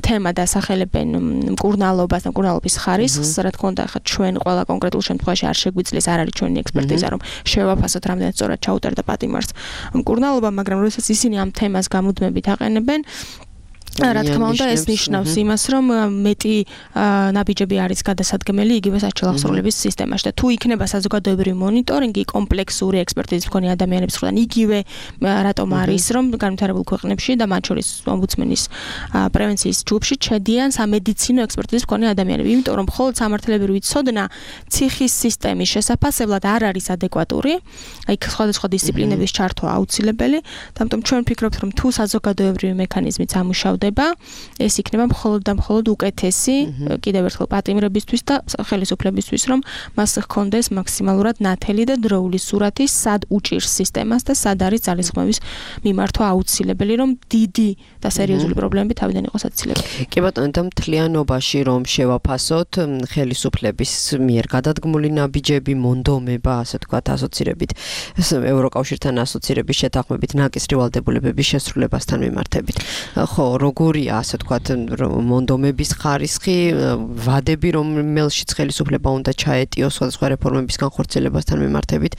S8: თემად ასახელებენ მკურნალობას და მკურნალობის ხარისხს, რა თქმა უნდა, ხა ჩვენ ყველა კონკრეტულ შემთხვევაში არ შეგვიძლია, არ არის ჩვენი ექსპერტიზა, რომ შევაფასოთ რამდენად სწორად ჩაუტარდა პატიმარს მკურნალობა, მაგრამ როდესაც ისინი ამ თემას გამუდმებით აყენებენ, რა თქმა უნდა ეს ნიშნავს იმას რომ მეტი ნაბიჯები არის გადასადგმელი იგივე საჩელახსრულების სისტემაში და თუ იქნება საზოგადოებრივი მონიტორინგი კომპლექსური ექსპერტიზის მქონე ადამიანების მხრიდან იგივე რატომ არის რომ განვითარებულ ქვეყნებში და მათ შორის ომბუდსმენის პრევენციის ჯგუფში ჩედიან სამედიცინო ექსპერტიზის მქონე ადამიანები იმიტომ რომ მხოლოდ სამართლებრივი ცოდნა ციხის სისტემის შესაფასებლად არ არის ადეკვატური აი სხვადასხვა დისციპლინების ჩართვა აუცილებელი და ამიტომ ჩვენ ვფიქრობთ რომ თუ საზოგადოებრივი მექანიზმით ამუშავდება ეს იქნება მხოლოდ და მხოლოდ უკეთესი კიდევ ერთხელ პატიმრებისთვის და ხელისუფლებისთვის რომ მას ჰქონდეს მაქსიმალურად ნათელი და დროული სურათი სად უჭირს სისტემას და სად არის ძალისხმევის მიმართვა აუცილებელი რომ დიდი და სერიოზული პრობლემები თავიდან იყოს აცილებელი.
S3: კი ბატონო და მთლიანობაში რომ შევაფასოთ ხელისუფლების მიერ გადადგმული ნაბიჯები მონდომება ასე ვთქვათ ასოცირებით ევროკავშირთან ასოცირების შეთანხმებით ნაკისრი ვალდებულებების შესრულებასთან მიმართებით. ხო, როგორია ასე ვთქვათ მონდომების ხარისხი, ვადები რომელშიც ხელისუფლება უნდა ჩაეტიოს სხვადასხვა რეფორმების განხორციელებასთან მიმართებით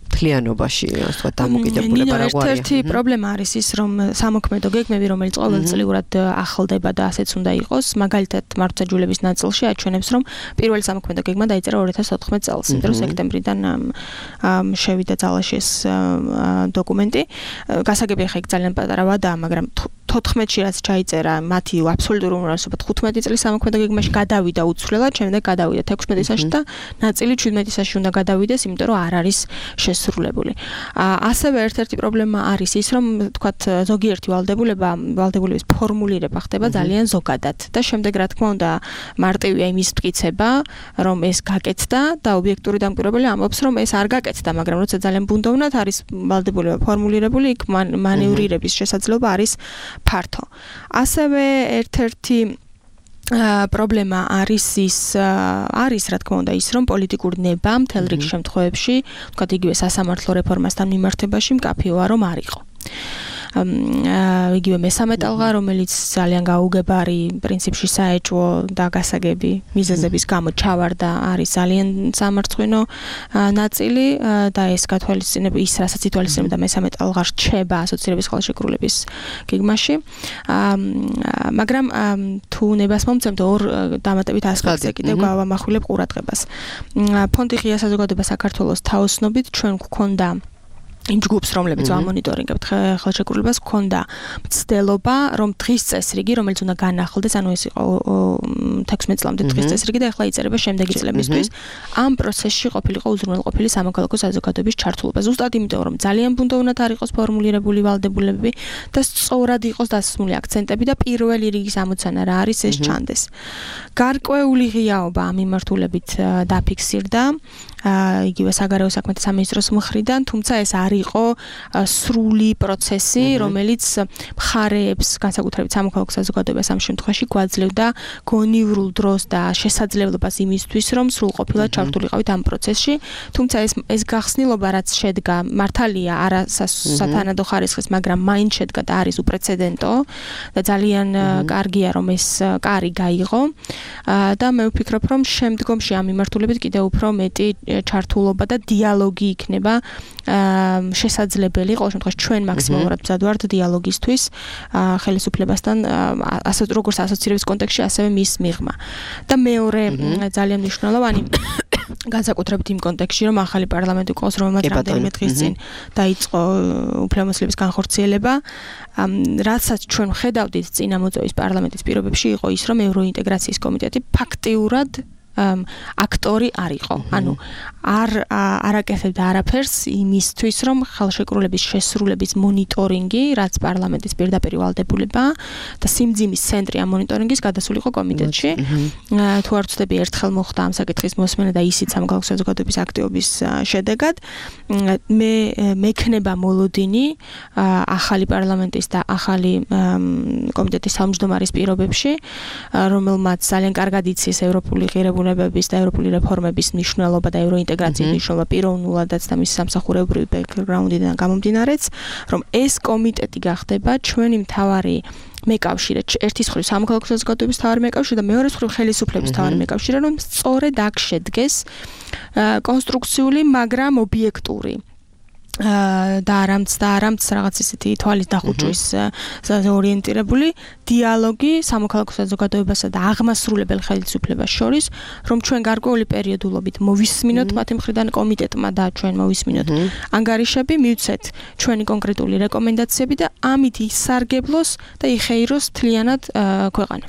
S3: მთლიანობაში ასე ვთქვათ დამოკიდებულება რა გვარია.
S8: ერთ-ერთი პრობლემა არის ის რომ სამოქმედო გეგმები რომელიც ყოველწლიურად ახლდება და ასეც უნდა იყოს, მაგალითად მართლმსაჯულების ნაწილში აჩვენებს რომ პირველი სამოქმედო გეგმა დაიწერა ორი ათას ოთხმეტ წელს, იმიტომ რომ სექტემბრიდან შევიდა ძალაში ეს დოკუმენტი. გასაგებია ხა იქ ძალიან პატარა ვადაა, მაგრამ თოთხმეტში რაც ჩაიწერა მათი აბსოლუტური უმრავლესობა თხუთმეტი წლის სამოქმედო გეგმაში გადავიდა უცვლელად, შემდეგ გადავიდა ექვსმეტისაში და ნაწილი შვიდმეტისაში უნდა გადავიდეს, იმიტომ რომ არ არის შესრულებული. ასევე ერთ-ერთი პრობლემა არის ის, რომ თქვათ ზოგიერთი ვალდებულება, ვალდებულების ფორმულირება ხდება ძალიან ზოგადად და შემდეგ რა თქმა უნდა მარტივია იმის მტკიცება, რომ ეს გაკეთდა და ობიექტური დამკვირვებელი ამბობს, რომ ეს არ გაკეთდა, მაგრამ როცა ძალიან ბუნდოვნად არის ვალდებულება ფორმულირებული, იქ მანევრირების შესაძლებლობა არის ფართო. ასევე ერთ-ერთი პრობლემა არის ის არის რა თქმა უნდა ის რომ პოლიტიკური ნება მთელ რიგ შემთხვევებში თქვათ იგივე სასამართლო რეფორმასთან მიმართებაში მკაფიოა რომ არ იყო. იგივე მესამე ტალღა რომელიც ძალიან გაუგებარი პრინციპში საეჭვო და გასაგები მიზეზების გამო ჩავარდა არის ძალიან სამარცხვინო ნაწილი და ეს გათვალისწინება ის რასაც ითვალისწინებდა მესამე ტალღა რჩება ასოცირების ხელშეკრულების გეგმაში მაგრამ თუ ნებას მომცემთ ორ დამატებით ასპექტზე კიდევ გავამახვილებ ყურადღებას. ფონდი ღია საზოგადოება საქართველოს თაოსნობით ჩვენ გვქონდა იმ ჯგუფს რომლებიც ვამონიტორინგებთ ხელშეკრულებას გქონდა მცდელობა რომ დღის წესრიგი რომელიც უნდა განახლდეს ანუ ეს იყო თექვსმეტ წლამდე დღის წესრიგი და ახლა იწერება შემდეგი წლებისთვის ამ პროცესში ყოფილიყო უზრუნველყოფილი სამოქალაქო საზოგადოების ჩართულობა ზუსტად იმიტომ რომ ძალიან ბუნდოვნად არ იყოს ფორმულირებული ვალდებულებები და სწორად იყოს დასმული აქცენტები და პირველი რიგის ამოცანა რა არის ეს ჩანდეს გარკვეული ღიაობა ამ მიმართულებით დაფიქსირდა იგივე საგარეო საქმეთა სამინისტროს მხრიდან თუმცა ეს არ იყო სრული პროცესი რომელიც მხარეებს განსაკუთრებით სამოქალაქო საზოგადოებას ამ შემთხვევაში გვაძლევდა გონივრულ დროს და შესაძლებლობას იმისთვის რომ სრულყოფილად ჩართულიყავით ამ პროცესში თუმცა ეს ეს გახსნილობა რაც შედგა მართალია არა სათანადო ხარისხის მაგრამ მაინც შედგა და არის უპრეცედენტო და ძალიან კარგია რომ ეს კარი გაიღო და მე ვფიქრობ რომ შემდგომში ამ მიმართულებით კიდევ უფრო მეტი ჩართულობა და დიალოგი იქნება შესაძლებელი ყოველ შემთხვევაში ჩვენ მაქსიმალურად მზად ვართ დიალოგისთვის ხელისუფლებასთან ასეთ როგორც ასოცირების კონტექსტში ასევე მის მიღმა და მეორე ძალიან მნიშვნელოვანი განსაკუთრებით იმ კონტექსტში რომ ახალი პარლამენტი ყავს რომელმაც რამდენიმე დღის წინ დაიწყო უფლებამოსილების განხორციელება რასაც ჩვენ ხედავდით წინამოწევის პარლამენტის პირობებში იყო ის რომ ევროინტეგრაციის კომიტეტი ფაქტიურად აქტორი არ იყო. ანუ არ არაკეთებდა არაფერს იმისთვის, რომ ხელშეკრულების შესრულების მონიტორინგი, რაც პარლამენტის პირდაპირ ვალდებულება და სიმძიმის ცენტრი ამ მონიტორინგის გადასულიყო კომიტეტში. თუ არ ვცდები, ერთხელ მოხდა ამ საკითხის მოსმენა და ისიც სამოქალაქო საზოგადოების აქტივობის შედეგად. მე მექნება მოლოდინი ახალი პარლამენტის და ახალი კომიტეტის თავმჯდომარის პირობებში, რომელმაც ძალიან კარგად იცის ევროპული ღირებულება და ევროპული რეფორმების მნიშვნელობა და ევროინტეგრაციის მნიშვნელობა პიროვნულადაც და მის სამსახურებრივ ბექგრაუნდიდან გამომდინარეც, რომ ეს კომიტეტი გახდება ჩვენი მთავარი მეკავშირე, ერთის მხრივ სამოქალაქო საზოგადოების მთავარი მეკავშირე და მეორე მხრივ ხელისუფლების მთავარი მეკავშირე, რომ სწორედ აქ შედგეს კონსტრუქციული, მაგრამ ობიექტური და არამც და არამც რაღაც ისეთი თვალის დახუჭვის ორიენტირებული დიალოგი სამოქალაქო საზოგადოებასა და აღმასრულებელ ხელისუფლებას შორის, რომ ჩვენ გარკვეული პერიოდულობით მოვისმინოთ მათი მხრიდან კომიტეტმა და ჩვენ მოვისმინოთ ანგარიშები, მივცეთ ჩვენი კონკრეტული რეკომენდაციები და ამით ისარგებლოს და იხეიროს მთლიანად ქვეყანა.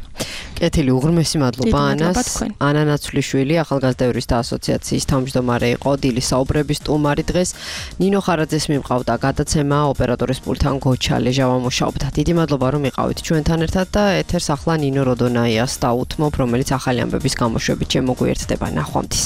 S3: კეთილი, უღრმესი მადლობა ანას. ანა ნაცვლიშვილი, ახალგაზრდა იურისტთა ასოციაციის თავმჯდომარე იყო, დილის საუბრების სტუმარი დღეს. ნინო ხარაძეს მიმყავდა გადაცემა, ოპერატორის პულთან გოჩა ლეჟავა მუშაობდა. დიდი მადლობა რომ იყავით ჩვენთან ერთად და ეთერს ახლა ნინო როდონაიას დაუთმობ, რომელიც ახალი ამბების გამოშვებით შემოგვიერთდება. ნახვამდის.